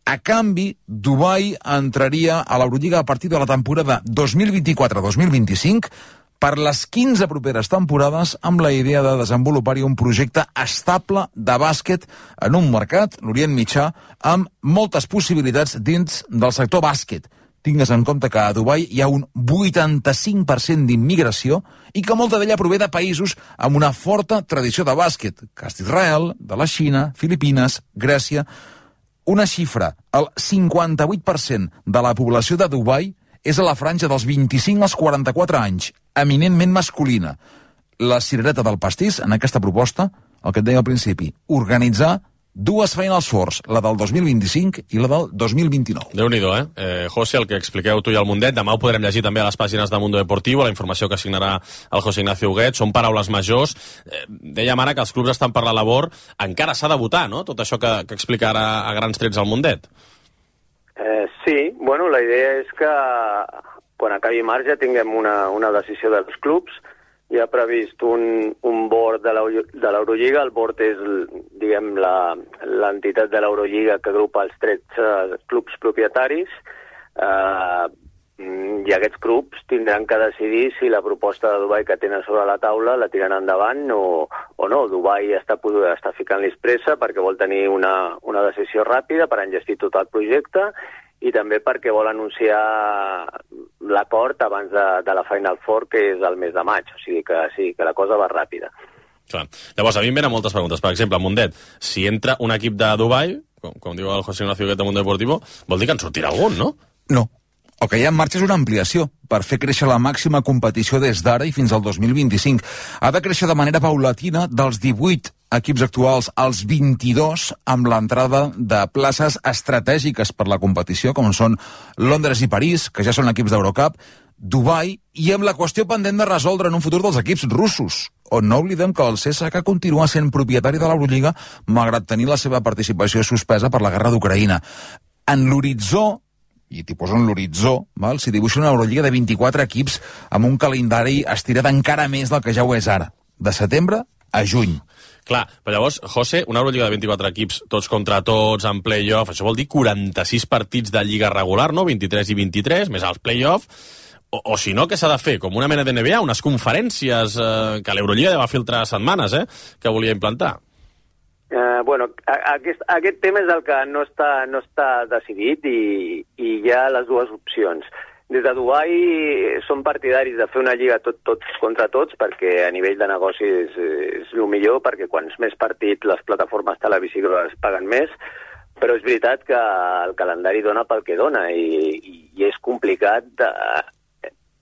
A canvi, Dubai entraria a l'Eurolliga a partir de la temporada dos mil vint-i-quatre dos mil vint-i-cinc per les quinze properes temporades, amb la idea de desenvolupar-hi un projecte estable de bàsquet en un mercat, l'Orient Mitjà, amb moltes possibilitats dins del sector bàsquet. Tingues en compte que a Dubai hi ha un vuitanta-cinc per cent d'immigració i que molta d'ella prové de països amb una forta tradició de bàsquet, cas d'Israel, de la Xina, Filipines, Grècia. Una xifra, el cinquanta-vuit per cent de la població de Dubai és a la franja dels vint-i-cinc als quaranta-quatre anys, eminentment masculina. La cirereta del pastís, en aquesta proposta, el que et deia al principi, organitzar dues Final Fours, la del dos mil vint-i-cinc i la del dos mil vint-i-nou. Déu-n'hi-do, eh? eh? José, el que expliqueu tu i el Mundet, demà ho podrem llegir també a les pàgines de Mundo Deportivo, la informació que signarà el José Ignacio Huguet, són paraules majors. Eh, dèiem ara que els clubs estan per la labor, encara s'ha de votar, no?, tot això que, que explica ara a grans trets el Mundet. Eh, sí, bueno, la idea és que quan acabi març ja tinguem una, una decisió dels clubs. Hi ha previst un, un board de l'Eurolliga. El board és, diguem, l'entitat de l'Eurolliga que agrupa els tretze clubs propietaris. Eh, I aquests clubs tindran que decidir si la proposta de Dubai que tenen sobre la taula la tiren endavant o, o no. Dubai està, està ficant-li pressa perquè vol tenir una, una decisió ràpida per enllestir tot el projecte i també perquè vol anunciar l'acord abans de, de la Final Four, que és el mes de maig. O sigui que sí, que la cosa va ràpida. Clar. Llavors, a mi em venen moltes preguntes. Per exemple, Mundet, si entra un equip de Dubai, com, com diu el José Ignacio Huguet de Mundo Deportivo, vol dir que en sortirà algun, no? No. El que hi ha en marxa és una ampliació per fer créixer la màxima competició des d'ara i fins al dos mil vint-i-cinc. Ha de créixer de manera paulatina dels divuit equips actuals als vint-i-dos, amb l'entrada de places estratègiques per la competició, com són Londres i París, que ja són equips d'Eurocup, Dubai, i amb la qüestió pendent de resoldre en un futur dels equips russos, on no oblidem que el C S K A continua sent propietari de l'Eurolliga, malgrat tenir la seva participació suspesa per la guerra d'Ucraïna. En l'horitzó, i t'hi poso en l'horitzó, val? S'hi dibuixa una Eurolliga de vint-i-quatre equips amb un calendari estirat encara més del que ja ho és ara, de setembre a juny. Clar, però llavors, José, una Eurolliga de vint-i-quatre equips, tots contra tots, en play-off, això vol dir quaranta-sis partits de lliga regular, no? vint-i-tres i vint-i-tres, més els play-off, o, o si no, què s'ha de fer? Com una mena de N B A, unes conferències eh, que l'Eurolliga ja va filtrar setmanes, eh?, que volia implantar. Uh, bueno, aquest, aquest tema és el que no està, no està decidit i, i hi ha les dues opcions. Des de Dubai són partidaris de fer una lliga tot, tots contra tots, perquè a nivell de negoci és, és el millor, perquè quants més partits les plataformes televisives paguen més, però és veritat que el calendari dona pel que dona i, i és complicat de,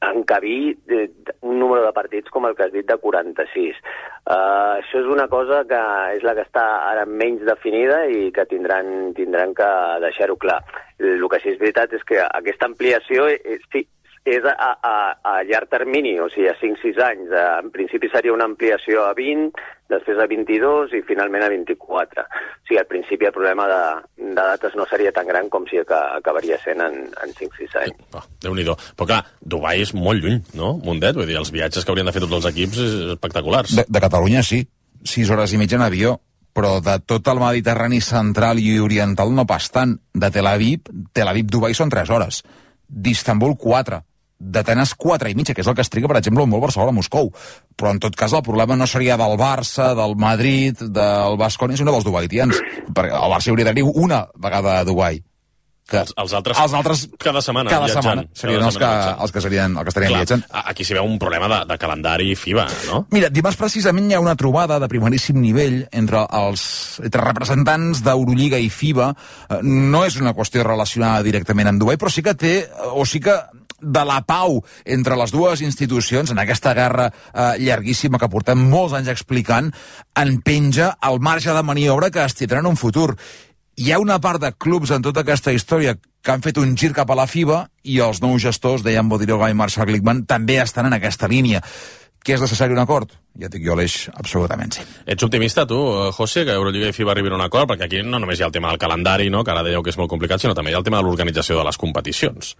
encabir de, de, un número de partits com el que has dit de quaranta-sis. Uh, això és una cosa que és la que està ara menys definida i que tindran, tindran que deixar-ho clar. El que sí és veritat és que aquesta ampliació és, és a, a, a llarg termini, o sigui, a cinc sis anys. En principi seria una ampliació a vint, després a vint-i-dos i finalment a vint-i-quatre. O sigui, al principi el problema de, de dates no seria tan gran com si acabaria sent en, en cinc sis anys. Oh, Déu-n'hi-do. Però clar, Dubai és molt lluny, no, Mundet? Vull dir, els viatges que haurien de fer tots els equips és espectaculars. De, de Catalunya sí, sis hores i mitja en avió, però de tot el Mediterrani central i oriental no pas tant. De Tel Aviv, Tel Aviv-Dubai són tres hores. D'Istanbul, quatre. D'Atenes quatre i mitja, que és el que es triga, per exemple, un vol Barcelona-Moscou. Però en tot cas el problema no seria del Barça, del Madrid, del Baskonia, sinó dels dubaitians. Perquè el Barça hauria d'anar una vegada a Dubai. Que els, els, altres, els altres cada setmana cada viatjant. Setmana serien cada els, que, els que serien, els que estarien Clar, viatjant. Aquí s'hi veu un problema de, de calendari FIBA, no? Mira, dimarts precisament hi ha una trobada de primeríssim nivell entre els entre representants d'Eurolliga i FIBA. No és una qüestió relacionada directament amb Dubai, però sí que té, o sí que de la pau entre les dues institucions, en aquesta guerra eh, llarguíssima que portem molts anys explicant, en penja el marge de maniobra que es tindrà en un futur. Hi ha una part de clubs en tota aquesta història que han fet un gir cap a la FIBA i els nous gestors, Dejan Bodiroga i Marshall Glickman, també estan en aquesta línia. Que és necessari un acord? Ja dic jo l'eix, absolutament sí. Ets optimista, tu, José, que Eurolliga i FIBA arribin a un acord? Perquè aquí no només hi ha el tema del calendari, no?, que ara dèieu que és molt complicat, sinó també hi ha el tema de l'organització de les competicions.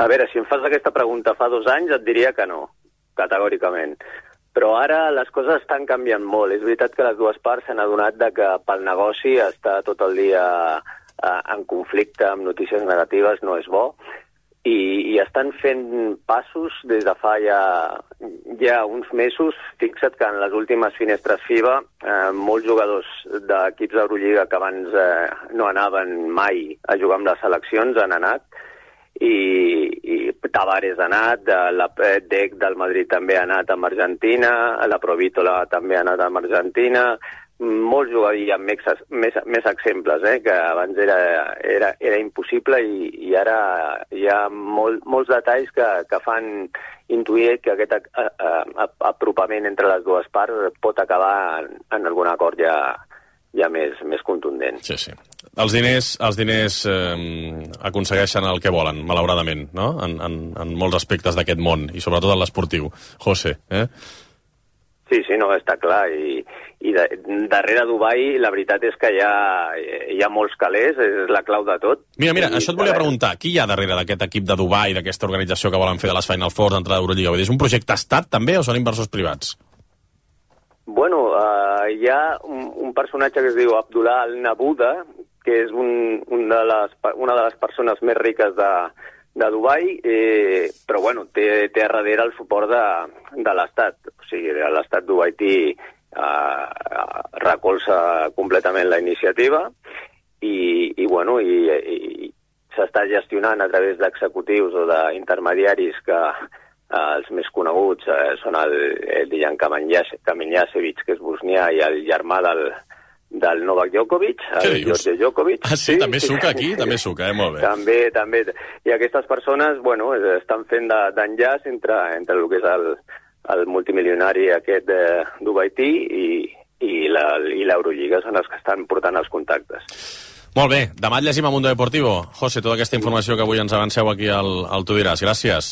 A veure, si em fas aquesta pregunta fa dos anys et diria que no, categòricament. Però ara les coses estan canviant molt. És veritat que les dues parts s'han adonat de que pel negoci està tot el dia eh, en conflicte amb notícies negatives no és bo i, i estan fent passos des de fa ja, ja uns mesos. Fixa't que en les últimes finestres FIBA eh, molts jugadors d'equips d'Eurolliga que abans eh, no anaven mai a jugar amb les seleccions han anat. I, i Tavares ha anat, la D E C del Madrid també ha anat amb Argentina, la Provítola també ha anat amb Argentina, molts jugadors, hi ha més, més, més exemples, eh, que abans era, era, era impossible i, i ara hi ha molt, molts detalls que, que fan intuir que aquest a, a, a, apropament entre les dues parts pot acabar en, en algun acord ja, ja més, més contundent. Sí, sí. Els diners, els diners eh, aconsegueixen el que volen, malauradament, no?, en, en, en molts aspectes d'aquest món, i sobretot en l'esportiu. José, eh? Sí, sí, no, està clar. I, i de, darrere Dubai la veritat és que hi ha, hi ha molts calés, és la clau de tot. Mira, mira, I, això et volia preguntar. Qui hi ha darrere d'aquest equip de Dubai, d'aquesta organització que volen fer de les Final Fours entre l'Eurolliga? És un projecte estat, també, o són inversors privats? Bueno, uh, hi ha un, un personatge que es diu Abdullah Al-Nabuda, que és un, un de les, una de les persones més riques de, de Dubai, eh, però bueno, té, té a darrere el suport de, de l'Estat. O sigui, l'Estat dubaití eh, recolza completament la iniciativa i, i bueno, i, i s'està gestionant a través d'executius o d'intermediaris que eh, els més coneguts eh, són el, el Dejan Kamenjasevic, que és bosnià, i el germà del del Novak Djokovic, el George Djokovic. Ah, sí? sí també sí. Suca aquí? També suca, eh? Molt bé. També, també. I aquestes persones, bueno, estan fent d'enllaç entre, entre el que és el, el multimilionari aquest de Dubaití i, i la, i l'Eurolliga són els que estan portant els contactes. Molt bé, demà et llegim a Mundo Deportivo. José, tota aquesta informació que avui ens avanceu aquí al, al Tu diràs. Gràcies.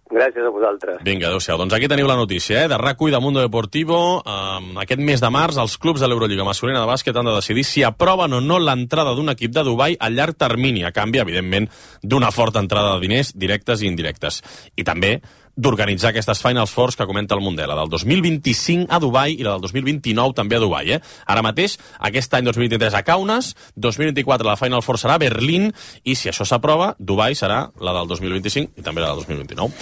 Gràcies a vosaltres. Vinga, adéu-siau. Doncs aquí teniu la notícia, eh? De RAC u i de Mundo Deportivo. Um, aquest mes de març, els clubs de l'Eurolliga masculina de bàsquet han de decidir si aproven o no l'entrada d'un equip de Dubai a llarg termini, a canvi, evidentment, d'una forta entrada de diners directes i indirectes. I també d'organitzar aquestes Finals Fours que comenta el Mundial, la del dos mil vint-i-cinc a Dubai i la del dos mil vint-i-nou també a Dubai. Eh? Ara mateix, aquest any dos mil vint-i-tres a Kaunas, dos mil vint-i-quatre la Final Four serà a Berlín i si això s'aprova, Dubai serà la del dos mil vint-i-cinc i també la del dos mil vint-i-nou.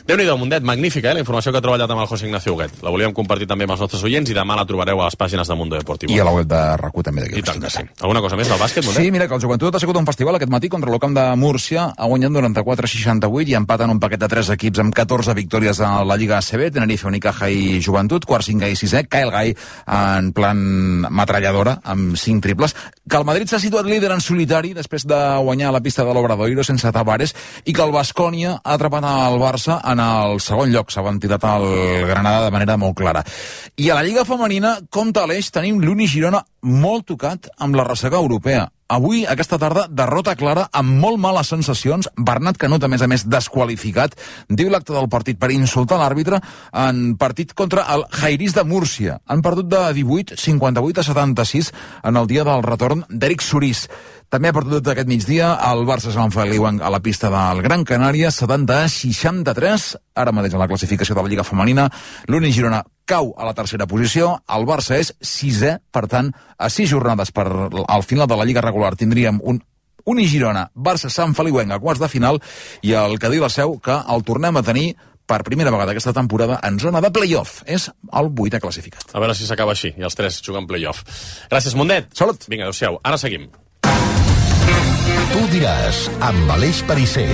Déu-n'hi-do, Mundet, magnífica, eh, la informació que ha treballat amb el José Ignacio Huguet. La volíem compartir també amb els nostres oients i demà la trobareu a les pàgines de Mundo Deportivo. I a la web de RAC u també. I tant que sí. Alguna cosa més del bàsquet, Mundet? Sí, mira, que el Joventut ha sigut un festival aquest matí contra l'Ocamp de Múrcia, ha guanyat noranta-quatre a seixanta-vuit i empaten un paquet de tres equips amb catorze victòries a la Lliga A C B, Tenerife, Unicaja i Joventut, quart, cinquè i sisè, Kyle Guy en plan metralladora, amb cinc triples, que el Madrid s'ha situat líder en solitari després de guanyar la pista de l'Obradoiro sense Tavares i que el Baskonia ha atrapat el Barça en el segon lloc, s'ha tirat el Granada de manera molt clara. I a la Lliga Femenina, compte a l'eix, tenim l'Uni Girona molt tocat amb la ressaca europea. Avui, aquesta tarda, derrota clara amb molt males sensacions. Bernat Canut, a més a més, desqualificat. Diu l'acte del partit per insultar l'àrbitre en partit contra el Jairis de Múrcia. Han perdut de divuit, cinquanta-vuit a setanta-sis en el dia del retorn d'Eric Surís. També ha perdut aquest migdia el Barça Sant Feliu a la pista del Gran Canària, setanta a seixanta-tres. Ara mateix a la classificació de la Lliga Femenina, l'Uni Girona cau a la tercera posició, el Barça és sisè, per tant, a sis jornades per al final de la Lliga regular tindríem un Uni Girona, Barça Sant Feliuenc a quarts de final i el Cadí la Seu, que el tornem a tenir per primera vegada aquesta temporada en zona de play-off. És el vuitè classificat. A veure si s'acaba així i els tres juguen play-off. Gràcies, Mundet. Salut. Vinga, adéu-siau. Ara seguim. Tu diràs, amb Aleix Perisser.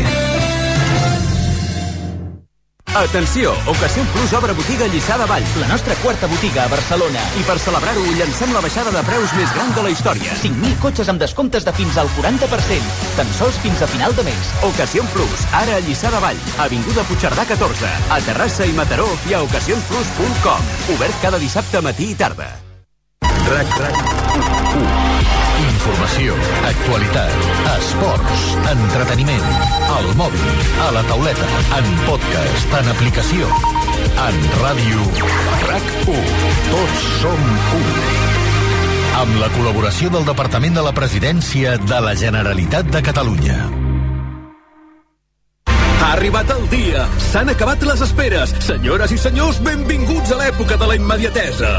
Atenció! Ocasión Plus obre botiga a Lliçà de Vall, la nostra quarta botiga a Barcelona. I per celebrar-ho llancem la baixada de preus més gran de la història. cinc mil cotxes amb descomptes de fins al quaranta per cent. Tan sols fins a final de mes. Ocasión Plus, ara a Lliçà de Vall, avinguda Puigcerdà catorze, a Terrassa i Mataró i a ocasion plus punt com. Obert cada dissabte matí i tarda. RAC, RAC. Informació, actualitat, esports, entreteniment, al mòbil, a la tauleta, en podcast, en aplicació, en ràdio. RAC u. Tots som u. Amb la col·laboració del Departament de la Presidència de la Generalitat de Catalunya. Ha arribat el dia. S'han acabat les esperes. Senyores i senyors, benvinguts a l'època de la immediatesa.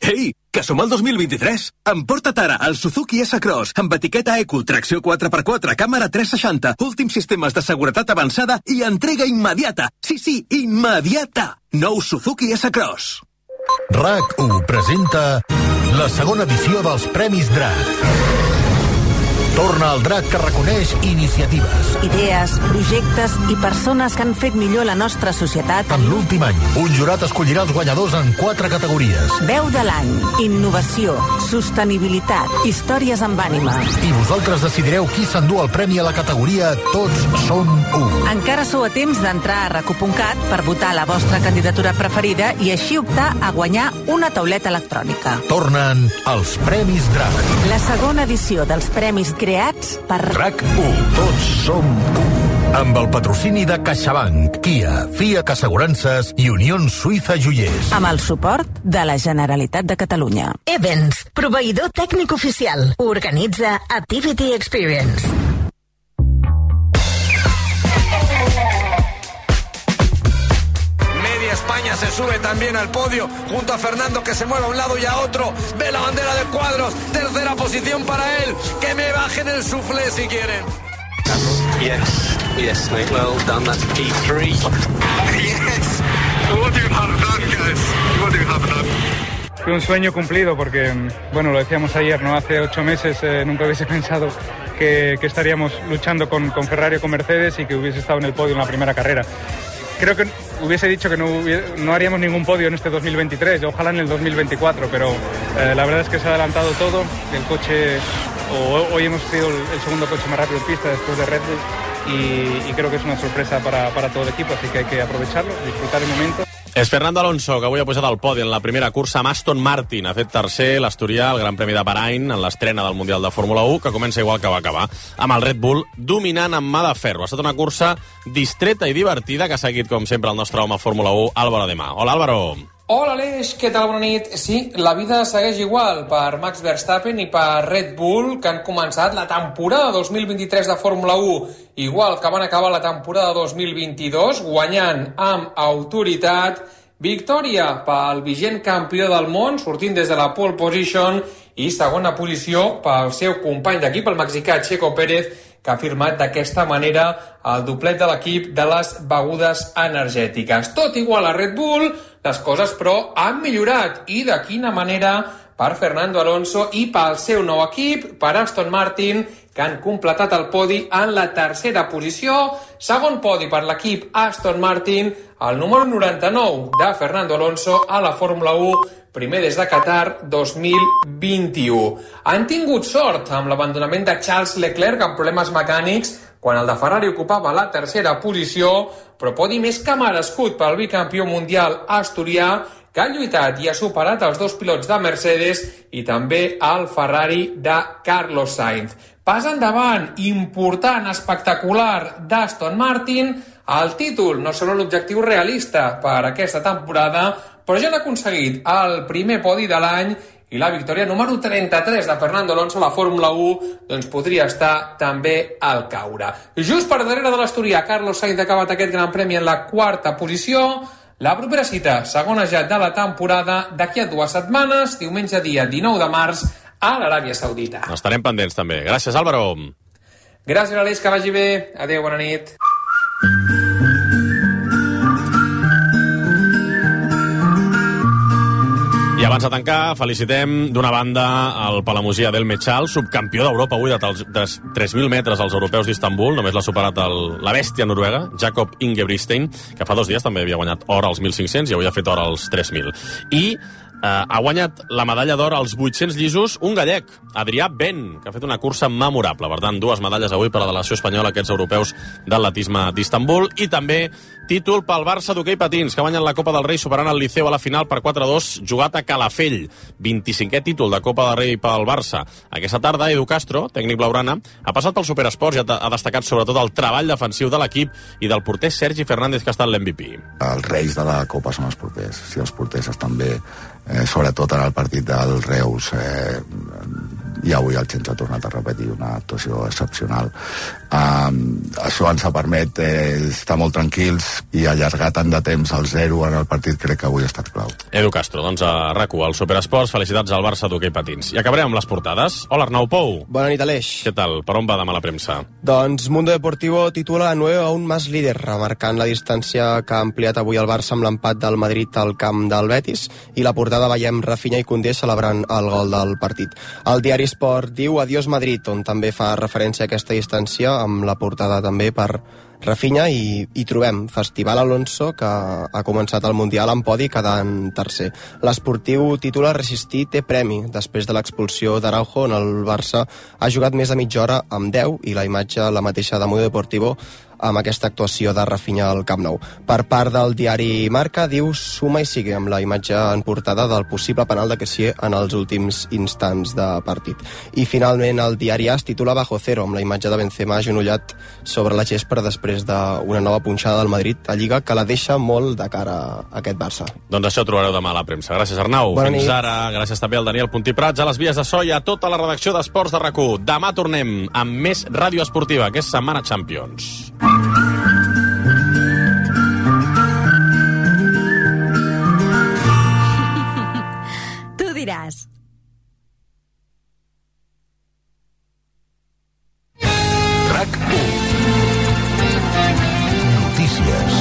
Ei, que som al dos mil vint-i-tres. Emporta't ara el Suzuki S-Cross amb etiqueta Eco, tracció quatre per quatre, càmera tres seixanta, últims sistemes de seguretat avançada i entrega immediata. Sí, sí, immediata. Nou Suzuki S-Cross. RAC u presenta la segona edició dels Premis DRAC. Torna el DRAC que reconeix iniciatives, idees, projectes i persones que han fet millor la nostra societat. En l'últim any, un jurat escollirà els guanyadors en quatre categories. Veu de l'any, innovació, sostenibilitat, històries amb ànima. I vosaltres decidireu qui s'endú el premi a la categoria Tots som u. Encara sou a temps d'entrar a rac u punt cat per votar la vostra candidatura preferida i així optar a guanyar una tauleta electrònica. Tornen els Premis DRAC. La segona edició dels Premis creats per RAC u. Tots som u. Amb el patrocini de CaixaBank, Kia, Fiat Assegurances i Unió Suïssa Joiers. Amb el suport de la Generalitat de Catalunya. Events, proveïdor tècnic oficial. Organitza Activity Experience. España se sube también al podio junto a Fernando, que se mueve a un lado y a otro. Ve la bandera de cuadros, tercera posición para él. Que me bajen el suflé si quieren. Yes, yes, mate, well done, that's P three. Yes, what do you have done, guys? What do you have done? Fue un sueño cumplido porque, bueno, lo decíamos ayer, ¿no? Hace ocho meses eh, nunca hubiese pensado que, que estaríamos luchando con, con Ferrari o con Mercedes y que hubiese estado en el podio en la primera carrera. Creo que hubiese dicho que no, hubiera, no haríamos ningún podio en este dos mil veintitrés, ojalá en el dos mil veinticuatro, pero eh, la verdad es que se ha adelantado todo. El coche, o, hoy hemos sido el, el segundo coche más rápido en pista después de Red Bull, y, y creo que es una sorpresa para, para todo el equipo, así que hay que aprovecharlo, disfrutar el momento. És Fernando Alonso, que avui ha posat al podi en la primera cursa amb Aston Martin. Ha fet tercer l'asturià al Gran Premi de Bahrain en l'estrena del Mundial de Fórmula u, que comença igual que va acabar, amb el Red Bull dominant amb mà de ferro. Ha estat una cursa distreta i divertida que ha seguit, com sempre, el nostre home Fórmula u, Álvaro Ademà. Hola, Álvaro. Hola, Aleix, què tal? Bona nit. Sí, la vida segueix igual per Max Verstappen i per Red Bull, que han començat la temporada dos mil vint-i-tres de Fórmula u, igual que van acabar la temporada dos mil vint-i-dos, guanyant amb autoritat. Victòria pel vigent campió del món, sortint des de la pole position, i segona posició pel seu company d'equip, el mexicà Checo Pérez, que ha firmat d'aquesta manera el doblet de l'equip de les begudes energètiques. Tot igual a Red Bull, les coses, però, han millorat. I de quina manera per Fernando Alonso i pel seu nou equip, per Aston Martin, que han completat el podi en la tercera posició. Segon podi per l'equip Aston Martin, el número noranta-nou de Fernando Alonso a la Fórmula u, primer des de Qatar dos mil vint-i-u. Han tingut sort amb l'abandonament de Charles Leclerc amb problemes mecànics quan el de Ferrari ocupava la tercera posició, però podi més que merescut pel bicampió mundial asturià, que ha lluitat i ha superat els dos pilots de Mercedes i també el Ferrari de Carlos Sainz. Pas endavant, important, espectacular d'Aston Martin. El títol no serà l'objectiu realista per aquesta temporada, però ja han aconseguit el primer podi de l'any i la victòria número trenta-tres de Fernando Alonso a la Fórmula u doncs podria estar també al caure. Just per darrere de l'asturià, Carlos Sainz ha acabat aquest gran premi en la quarta posició. La propera cita, segona ja de la temporada, d'aquí a dues setmanes, diumenge dia dinou de març, a l'Aràbia Saudita. Estarem pendents també. Gràcies, Álvaro. Gràcies, Aleix, que vagi bé. Adéu, bona nit. I abans de tancar, felicitem d'una banda el palamosí Adel Mechal, subcampió d'Europa avui de tres mil metres als europeus d'Istanbul. Només l'ha superat el, la bèstia noruega, Jakob Ingebrigtsen, que fa dos dies també havia guanyat or als mil cinc-cents i avui ha fet or als tres mil. I Uh, ha guanyat la medalla d'or als vuit-cents llisos un gallec, Adrià Ben, que ha fet una cursa memorable. Per tant, dues medalles avui per a la delegació espanyola, aquests europeus d'atletisme d'Istanbul. I també títol pel Barça d'hoquei patins, que ha guanyat la Copa del Rei superant el Liceu a la final per quatre a dos, jugat a Calafell. vint-i-cinquè títol de Copa del Rei pel Barça. Aquesta tarda, Edu Castro, tècnic blaugrana, ha passat pel Superesports i ha, ha destacat sobretot el treball defensiu de l'equip i del porter Sergi Fernández, que ha estat l'M V P. Els reis de la Copa són els porters. Si els porters estan bé, Eh, sobretot en el partit del Reus, eh, i avui el Xens ha tornat a repetir una actuació excepcional. Um, això ens ha permet eh, estar molt tranquils i allargar tant de temps al zero en el partit. Crec que avui ha estat clau. Edu Castro, doncs a RAC u, al Superesports. Felicitats al Barça d'hoquei patins. I acabarem amb les portades. Hola, Arnau Pou. Bona nit, Aleix. Què tal? Per on va demà la premsa? Doncs Mundo Deportivo titula nueve a un más líder, remarcant la distància que ha ampliat avui el Barça amb l'empat del Madrid al camp del Betis, i la portada veiem Rafinha i Koundé celebrant el gol del partit. El diari Sport diu Adiós Madrid, on també fa referència a aquesta distància, amb la portada també per Rafinha, i, i trobem Festival Alonso, que ha començat el Mundial en podi quedant tercer. L'esportiu titula Resistir té premi, després de l'expulsió d'Araujo, on el Barça ha jugat més de mitja hora amb deu, i la imatge la mateixa de Mundo Deportivo amb aquesta actuació de Rafinha al Camp Nou. Per part del diari Marca, diu suma i sigue, amb la imatge en portada del possible penal de Kessié en els últims instants de partit. I finalment el diari AS titula Bajo Cero, amb la imatge de Benzema agenollat sobre la gespa després d'una nova punxada del Madrid a Lliga, que la deixa molt de cara a aquest Barça. Doncs això ho trobareu demà a la premsa. Gràcies, Arnau. Bona Fins nit. ara. Gràcies també al Daniel Puntí Prats, a les vies de so i a tota la redacció d'Esports de RAC u. Demà tornem amb més ràdio esportiva, que és Setmana Champions. Tu diràs. RAC u. Notícies.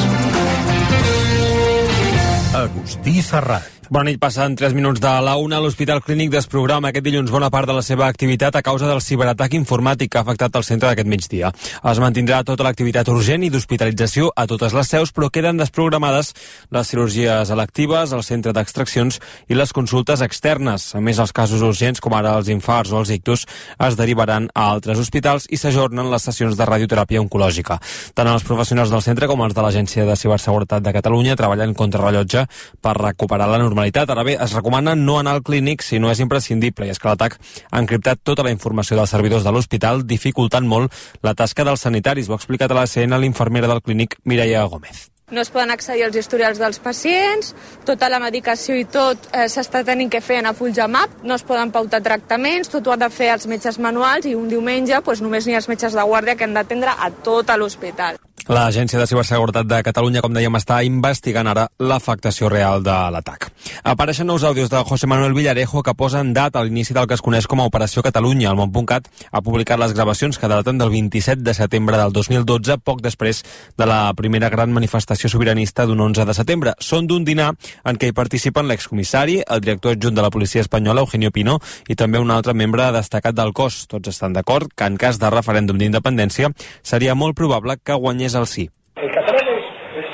Agustí Serrat. Bona nit, passen tres minuts de la una. L'Hospital Clínic desprograma aquest dilluns bona part de la seva activitat a causa del ciberatac informàtic que ha afectat el centre d'aquest migdia. Es mantindrà tota l'activitat urgent i d'hospitalització a totes les seus, però queden desprogramades les cirurgies electives, el centre d'extraccions i les consultes externes. A més, els casos urgents, com ara els infarts o els ictus, es derivaran a altres hospitals i s'ajornen les sessions de radioteràpia oncològica. Tant els professionals del centre com els de l'Agència de Ciberseguretat de Catalunya treballen contrarrellotge per recuperar la normalitat. Ara bé, es recomana no anar al clínic si no és imprescindible, i és que l'atac ha encriptat tota la informació dels servidors de l'hospital, dificultant molt la tasca dels sanitaris. Ho ha explicat a la C N l'infermera del clínic, Mireia Gómez. No es poden accedir als historials dels pacients, tota la medicació i tot eh, s'està tenint que fer en a Fulgemap, no es poden pautar tractaments, tot ho han de fer els metges manuals i un diumenge pues, només n'hi ha els metges de guàrdia que han d'atendre a tot l'hospital. L'Agència de Ciberseguretat de Catalunya, com dèiem, està investigant ara l'afectació real de l'atac. Apareixen nous àudios de José Manuel Villarejo que posen data a l'inici del que es coneix com a Operació Catalunya. El Món.cat ha publicat les gravacions que daten del vint-i-set de setembre del dos mil dotze, poc després de la primera gran manifestació sobiranista d'un onze de setembre. Són d'un dinar en què hi participen l'excomissari, el director adjunt de la policia espanyola, Eugenio Pino, i també un altre membre destacat del cos. Tots estan d'acord que en cas de referèndum d'independència seria molt probable que guanyés el sí. El catalán es, es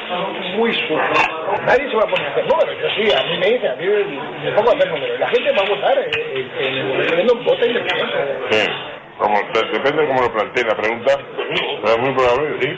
muy sucio. Nadie se va a poner a hacer números. Yo sí, a mí me dice, a mí me pongo a hacer números. La gente va a votar en el referéndum, vota independiente. Sí, como, depende de cómo lo planteen la pregunta, pero es muy probable que sí.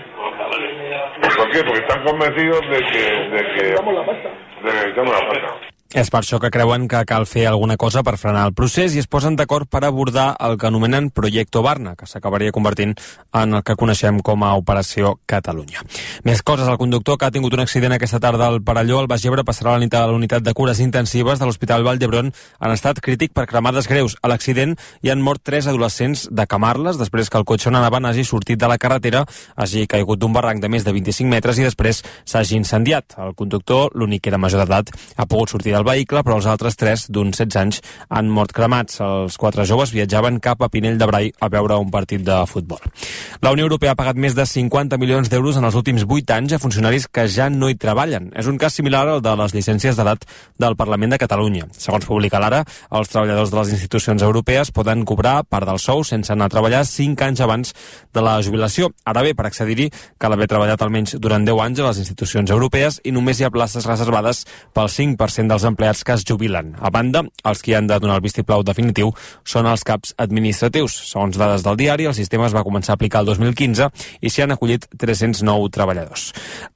¿Por qué? Porque están convencidos de que... de que echamos la pasta. De que echamos la pasta. És per això que creuen que cal fer alguna cosa per frenar el procés i es posen d'acord per abordar el que anomenen Proyecto Barna, que s'acabaria convertint en el que coneixem com a Operació Catalunya. Més coses, el conductor que ha tingut un accident aquesta tarda al Perelló, al Baix Ebre, passarà la nit a la unitat de cures intensives de l'Hospital Vall d'Hebron en estat crític per cremades greus. A l'accident hi han mort tres adolescents de Camarles després que el cotxe on anaven hagi sortit de la carretera, hagi caigut d'un barranc de més de vint-i-cinc metres i després s'hagi incendiat. El conductor, l'únic que era major d'edat, ha pogut sortir del vehicle, però els altres tres, d'uns setze anys, han mort cremats. Els quatre joves viatjaven cap a Pinell de Brai a veure un partit de futbol. La Unió Europea ha pagat més de cinquanta milions d'euros en els últims vuit anys a funcionaris que ja no hi treballen. És un cas similar al de les llicències d'edat del Parlament de Catalunya. Segons publica l'Ara, els treballadors de les institucions europees poden cobrar part del sou sense anar a treballar cinc anys abans de la jubilació. Ara bé, per accedir-hi cal haver treballat almenys durant deu anys a les institucions europees i només hi ha places reservades pel cinc per cent dels empleats que es jubilen. A banda, els que han de donar el vistiplau definitiu són els caps administratius. Segons dades del diari, el sistema es va començar a aplicar el dos mil quinze i s'hi han acollit tres-cents nou treballadors.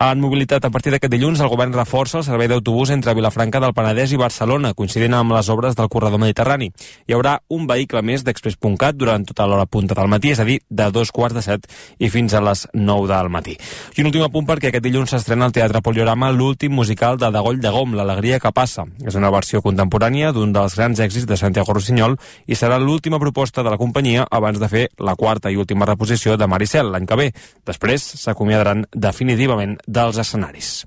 En mobilitat, a partir d'aquest dilluns, el govern reforça el servei d'autobús entre Vilafranca del Penedès i Barcelona, coincidint amb les obres del corredor mediterrani. Hi haurà un vehicle més d'Express.cat durant tota l'hora punta del matí, és a dir, de dos quarts de set i fins a les nou del matí. I un últim apunt perquè aquest dilluns s'estrena al Teatre Poliorama l'últim musical de Dagoll de Gom, L'alegria que passa. És una versió contemporània d'un dels grans èxits de Santiago Rossinyol i serà l'última proposta de la companyia abans de fer la quarta i última reposició de Maricel l'any que ve. Després s'acomiadaran definitivament dels escenaris.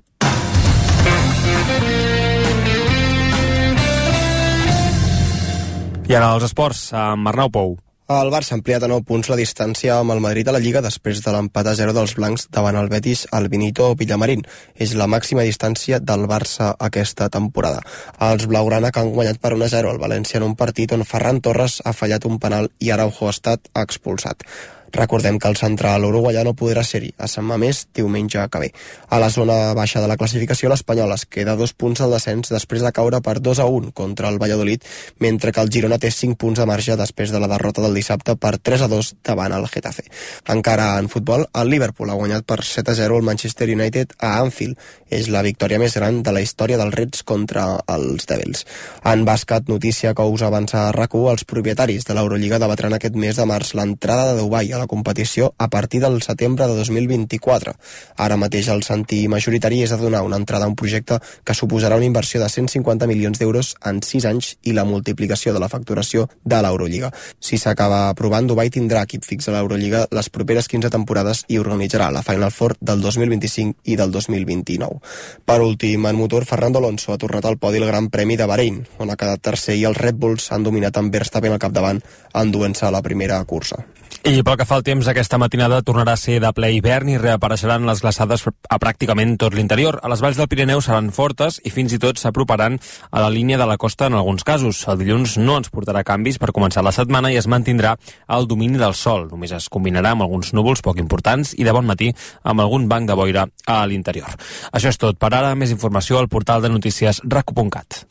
I ara els esports, amb Arnau Pou. El Barça ha ampliat a nou punts la distància amb el Madrid a la Lliga després de l'empat a zero dels blancs davant el Betis al Benito Villamarín. És la màxima distància del Barça aquesta temporada. Els blaugrana que han guanyat per un a zero al València en un partit on Ferran Torres ha fallat un penal i Araujo ha estat expulsat. Recordem que el central uruguaià no podrà ser-hi a Sant Mamés diumenge que ve. A la zona baixa de la classificació, l'Espanyol es queda dos punts al descens després de caure per dos a un contra el Valladolid, mentre que el Girona té cinc punts de marge després de la derrota del dissabte per tres a dos davant el Getafe. Encara en futbol, el Liverpool ha guanyat per set a zero el Manchester United a Anfield. És la victòria més gran de la història dels Reds contra els Devils. En bàsquet, notícia que us avança a RAC u, els propietaris de l'Eurolliga debatran aquest mes de març l'entrada de Dubai a la competició a partir del setembre de dos mil vint-i-quatre. Ara mateix el sentir majoritari és a donar una entrada a un projecte que suposarà una inversió de cent cinquanta milions d'euros en sis anys i la multiplicació de la facturació de l'Eurolliga. Si s'acaba aprovant, Dubai tindrà equip fix a l'Eurolliga les properes quinze temporades i organitzarà la Final Four del dos mil vint-i-cinc i del dos mil vint-i-nou. Per últim, en motor, Fernando Alonso ha tornat al podi al Gran Premi de Bahrein, on ha quedat tercer i els Red Bulls han dominat amb Verstappen al capdavant, enduent-se a la primera cursa. I pel que fa al temps, aquesta matinada tornarà a ser de ple hivern i reapareixeran les glaçades a pràcticament tot l'interior. A les valls del Pirineu seran fortes i fins i tot s'aproparan a la línia de la costa en alguns casos. El dilluns no ens portarà canvis per començar la setmana i es mantindrà el domini del sol. Només es combinarà amb alguns núvols poc importants i de bon matí amb algun banc de boira a l'interior. Això és tot. Per ara, més informació al portal de notícies rac u punt cat.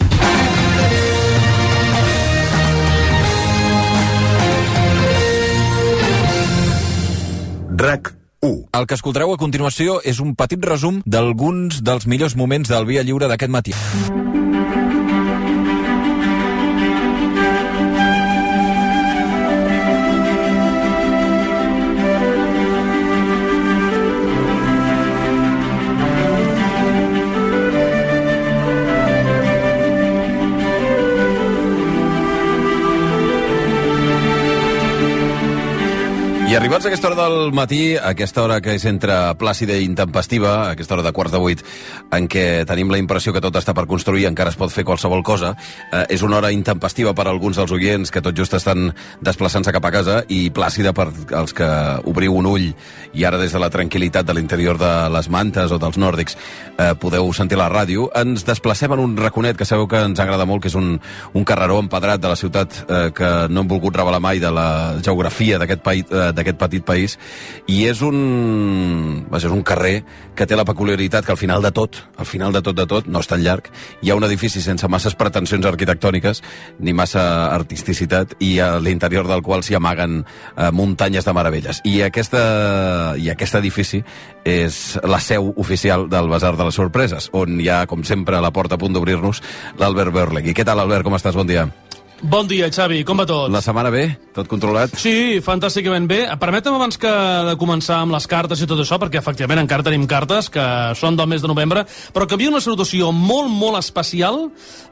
RAC u. El que escoltareu a continuació és un petit resum d'alguns dels millors moments del Via Lliure d'aquest matí. I arribats a aquesta hora del matí, a aquesta hora que és entre plàcida i intempestiva, a aquesta hora de quarts de vuit, en què tenim la impressió que tot està per construir, encara es pot fer qualsevol cosa, eh, és una hora intempestiva per a alguns dels oients que tot just estan desplaçant-se cap a casa i plàcida per als que obriu un ull i ara des de la tranquil·litat de l'interior de les mantes o dels nòrdics eh, podeu sentir la ràdio. Ens desplacem en un raconet que sabeu que ens agrada molt, que és un, un carreró empedrat de la ciutat eh, que no hem volgut revelar mai de la geografia d'aquest país, eh, d'aquest petit país, i és un vaja, és un carrer que té la peculiaritat que al final de tot, al final de tot de tot, no és tan llarg, hi ha un edifici sense masses pretensions arquitectòniques ni massa artisticitat i a l'interior del qual s'hi amaguen eh, muntanyes de meravelles. I, aquesta, i aquest edifici és la seu oficial del Basar de les Sorpreses, on hi ha, com sempre, a la porta a punt d'obrir-nos, l'Albert Berlegui. Què tal, Albert? Com estàs? Bon dia. Bon dia, Xavi, com va tot? La setmana bé? Tot controlat? Sí, fantàsticament bé. Permetem abans que de començar amb les cartes i tot això, perquè efectivament encara tenim cartes que són del mes de novembre, però que havia una salutació molt, molt especial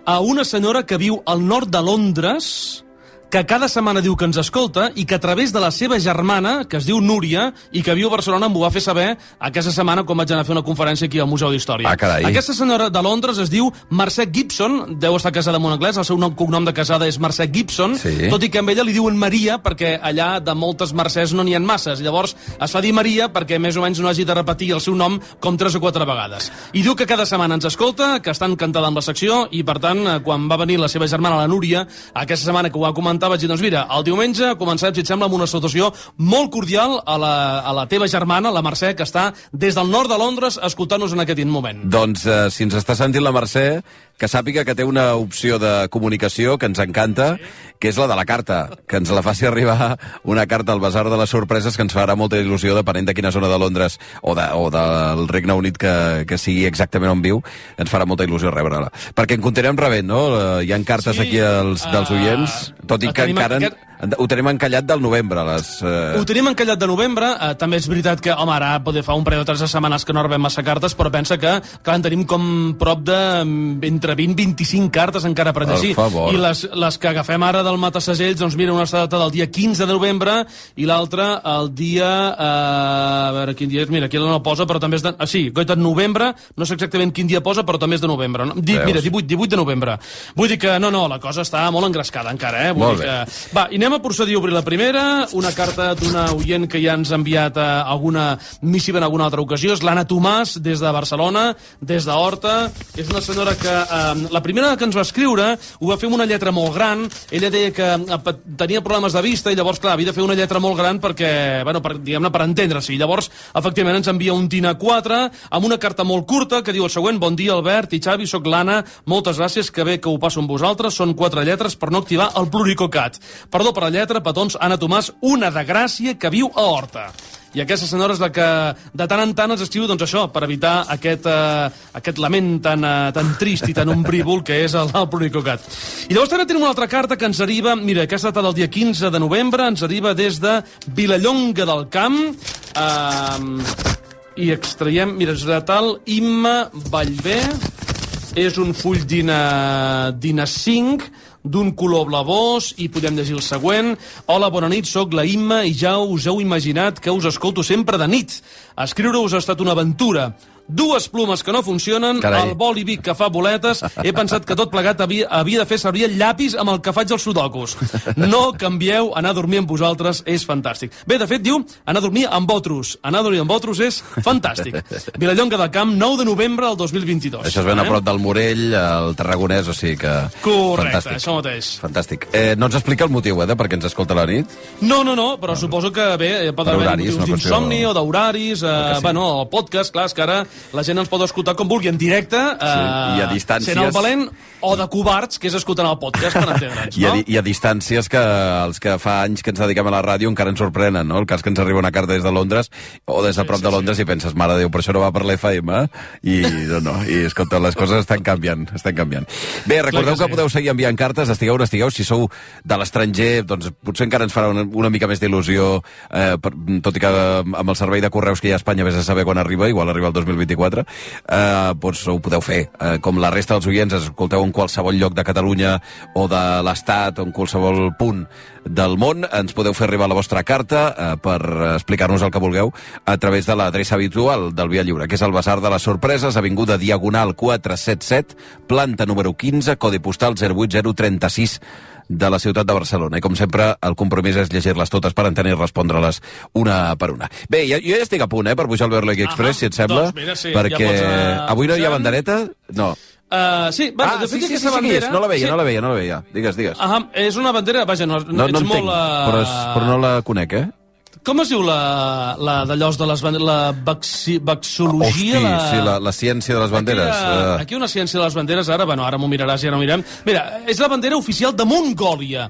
a una senyora que viu al nord de Londres, que cada setmana diu que ens escolta i que a través de la seva germana, que es diu Núria, i que viu a Barcelona, m'ho va fer saber aquesta setmana quan vaig anar a fer una conferència aquí al Museu d'Història. Ah, carai. Aquesta senyora de Londres es diu Mercè Gibson, deu estar casada amb un anglès, el seu nom, cognom de casada és Mercè Gibson, sí. Tot i que amb ella li diuen Maria, perquè allà de moltes Mercès no n'hi ha masses. Llavors es fa dir Maria perquè més o menys no hagi de repetir el seu nom com tres o quatre vegades. I diu que cada setmana ens escolta, que està encantada amb la secció, i per tant, quan va venir la seva germana, la Núria, aquesta setmana que ho va comentar, vaig dir, doncs mira, el diumenge començarem, si et sembla, amb una salutació molt cordial a la, a la teva germana, la Mercè, que està des del nord de Londres escoltant-nos en aquest moment. Doncs eh, si ens està sentint la Mercè, que sàpiga que té una opció de comunicació que ens encanta, que és la de la carta, que ens la faci arribar una carta al Basar de les Sorpreses, que ens farà molta il·lusió, depenent de quina zona de Londres o, de, o del Regne Unit que, que sigui exactament on viu, ens farà molta il·lusió rebre-la. Perquè en continuem rebent, no? Hi ha cartes sí, aquí als, dels oients, tot i que encara... Aquest... Ho tenim encallat del novembre. Les, uh... Ho tenim encallat de novembre. Uh, també és veritat que, home, ara poder fa un parell o tres setmanes que no rebem massa cartes, però pensa que, clar, en tenim com prop de entre vint i vint-i-cinc cartes encara per llegir. I les, les que agafem ara del Matasegells, doncs mira, una està data del dia quinze de novembre i l'altra el dia... Uh, a veure, quin dia és? Mira, aquí no posa, però també és de... Ah, sí, goita de novembre, no sé exactament quin dia posa, però també és de novembre. No? Di, mira, divuit, divuit de novembre. Vull dir que, no, no, la cosa està molt engrescada encara, eh? Vull molt dir bé. Que... Va, i anem a procedir a obrir la primera, una carta d'una oient que ja ens ha enviat a alguna missiva en alguna altra ocasió, és l'Anna Tomàs, des de Barcelona, des d'Horta. És una senyora que, eh, la primera que ens va escriure, ho va fer amb una lletra molt gran. Ella deia que eh, tenia problemes de vista i llavors, clar, havia de fer una lletra molt gran perquè, bueno, per, diguem-ne, per entendre-s'hi. Llavors, efectivament, ens envia un Tina quatre amb una carta molt curta que diu el següent: bon dia, Albert i Xavi, soc l'Anna, moltes gràcies, que bé que ho passo amb vosaltres, són quatre lletres per no activar el pluricocat. Perdó per la lletra, petons, Anna Tomàs, una de Gràcia que viu a Horta. I aquesta senyora és la que de tant en tant ens escriu, doncs això, per evitar aquest, eh, aquest lament tan, eh, tan trist i tan ombrívol que és el, el pluricocat. I llavors també tenim una altra carta que ens arriba, mira, aquesta data del dia quinze de novembre, ens arriba des de Vilallonga del Camp, eh, i extraiem, mira, és de tal Imma Vallvé, és un full d'Ina cinc, d'un color blavós, i podem llegir el següent. Hola, bona nit, sóc la Imma i ja us heu imaginat que us escolto sempre de nit. Escriure-us ha estat una aventura. dues plumes que no funcionen, Carai. el boli Bic que fa boletes, he pensat que tot plegat havia, havia de fer servir el llapis amb el que faig els sudokus. No canvieu, anar a dormir amb vosaltres és fantàstic. Bé, de fet, diu, anar a dormir amb votrus. Anar a dormir amb votrus és fantàstic. Vilallonga del Camp, nou de novembre del dos mil vint-i-dos. Això es ven a prop del Morell, el Tarragonès, o sigui que... Correcte, fantàstic. això mateix. Fantàstic. Eh, no ens explica el motiu, eh, de per què ens escolta a la nit? No, no, no, però suposo que, bé, pot Per haver horaris, motius una qüestió- d'insomni o d'horaris, eh, sí. bueno, el podcast, clar, és que ara la gent ens pot escoltar com vulgui, en directe, eh, Sí, i a distàncies- sent el valent, o de covards, que és escoltant el podcast, per entendre'ns, I a, no? di- I a distàncies que els que fa anys que ens dediquem a la ràdio encara ens sorprenen, no? El cas que ens arriba una carta des de Londres o des de prop de Londres i penses, mare de Déu, però això no va per l'F M, eh? I no, no, i escolta, les coses estan canviant, estan canviant. Bé, recordeu que, Clar que sí. podeu seguir enviant cartes, estigueu on estigueu, si sou de l'estranger, doncs potser encara ens farà una, una mica més d'il·lusió, eh, per, tot i que amb el servei de correus que hi ha a Espanya vés a saber quan arriba, igual arriba el dos mil vint-i-quatre, eh, doncs ho podeu fer. Eh, com la resta dels oients, escolteu en qualsevol lloc de Catalunya o de l'Estat o en qualsevol punt del món, ens podeu fer arribar la vostra carta eh, per explicar-nos el que vulgueu a través de l'adreça habitual del Via Lliure, que és el Basar de les Sorpreses, avinguda Diagonal quatre set set, planta número quinze, codi postal zero vuit zero tres sis de la ciutat de Barcelona. I com sempre, el compromís és llegir-les totes per entendre i respondre-les una per una. Bé, jo, jo ja estic a punt, eh, per pujar al Berlegi Express, si et sembla, doncs mira, sí, perquè ja pots anar avui no hi ha pujant. bandereta? No. Uh, sí, bueno, Ah, de fet, sí, sí, aquesta sí, sí, bandera... és. No la veia, sí. no la veia, no la veia. Digues, digues. Ahà, és una bandera, vaja, no, No, ets no molt... entenc, Uh... però, és, però no la conec, eh? Com es diu la, la d'allòs de les banderes? La baxi, baxologia? Hosti, la... sí, la, la ciència de les banderes. Aquí, hi ha, eh. aquí una ciència de les banderes, ara, bueno, ara m'ho miraràs i ara ho mirem. Mira, és la bandera oficial de Mongòlia.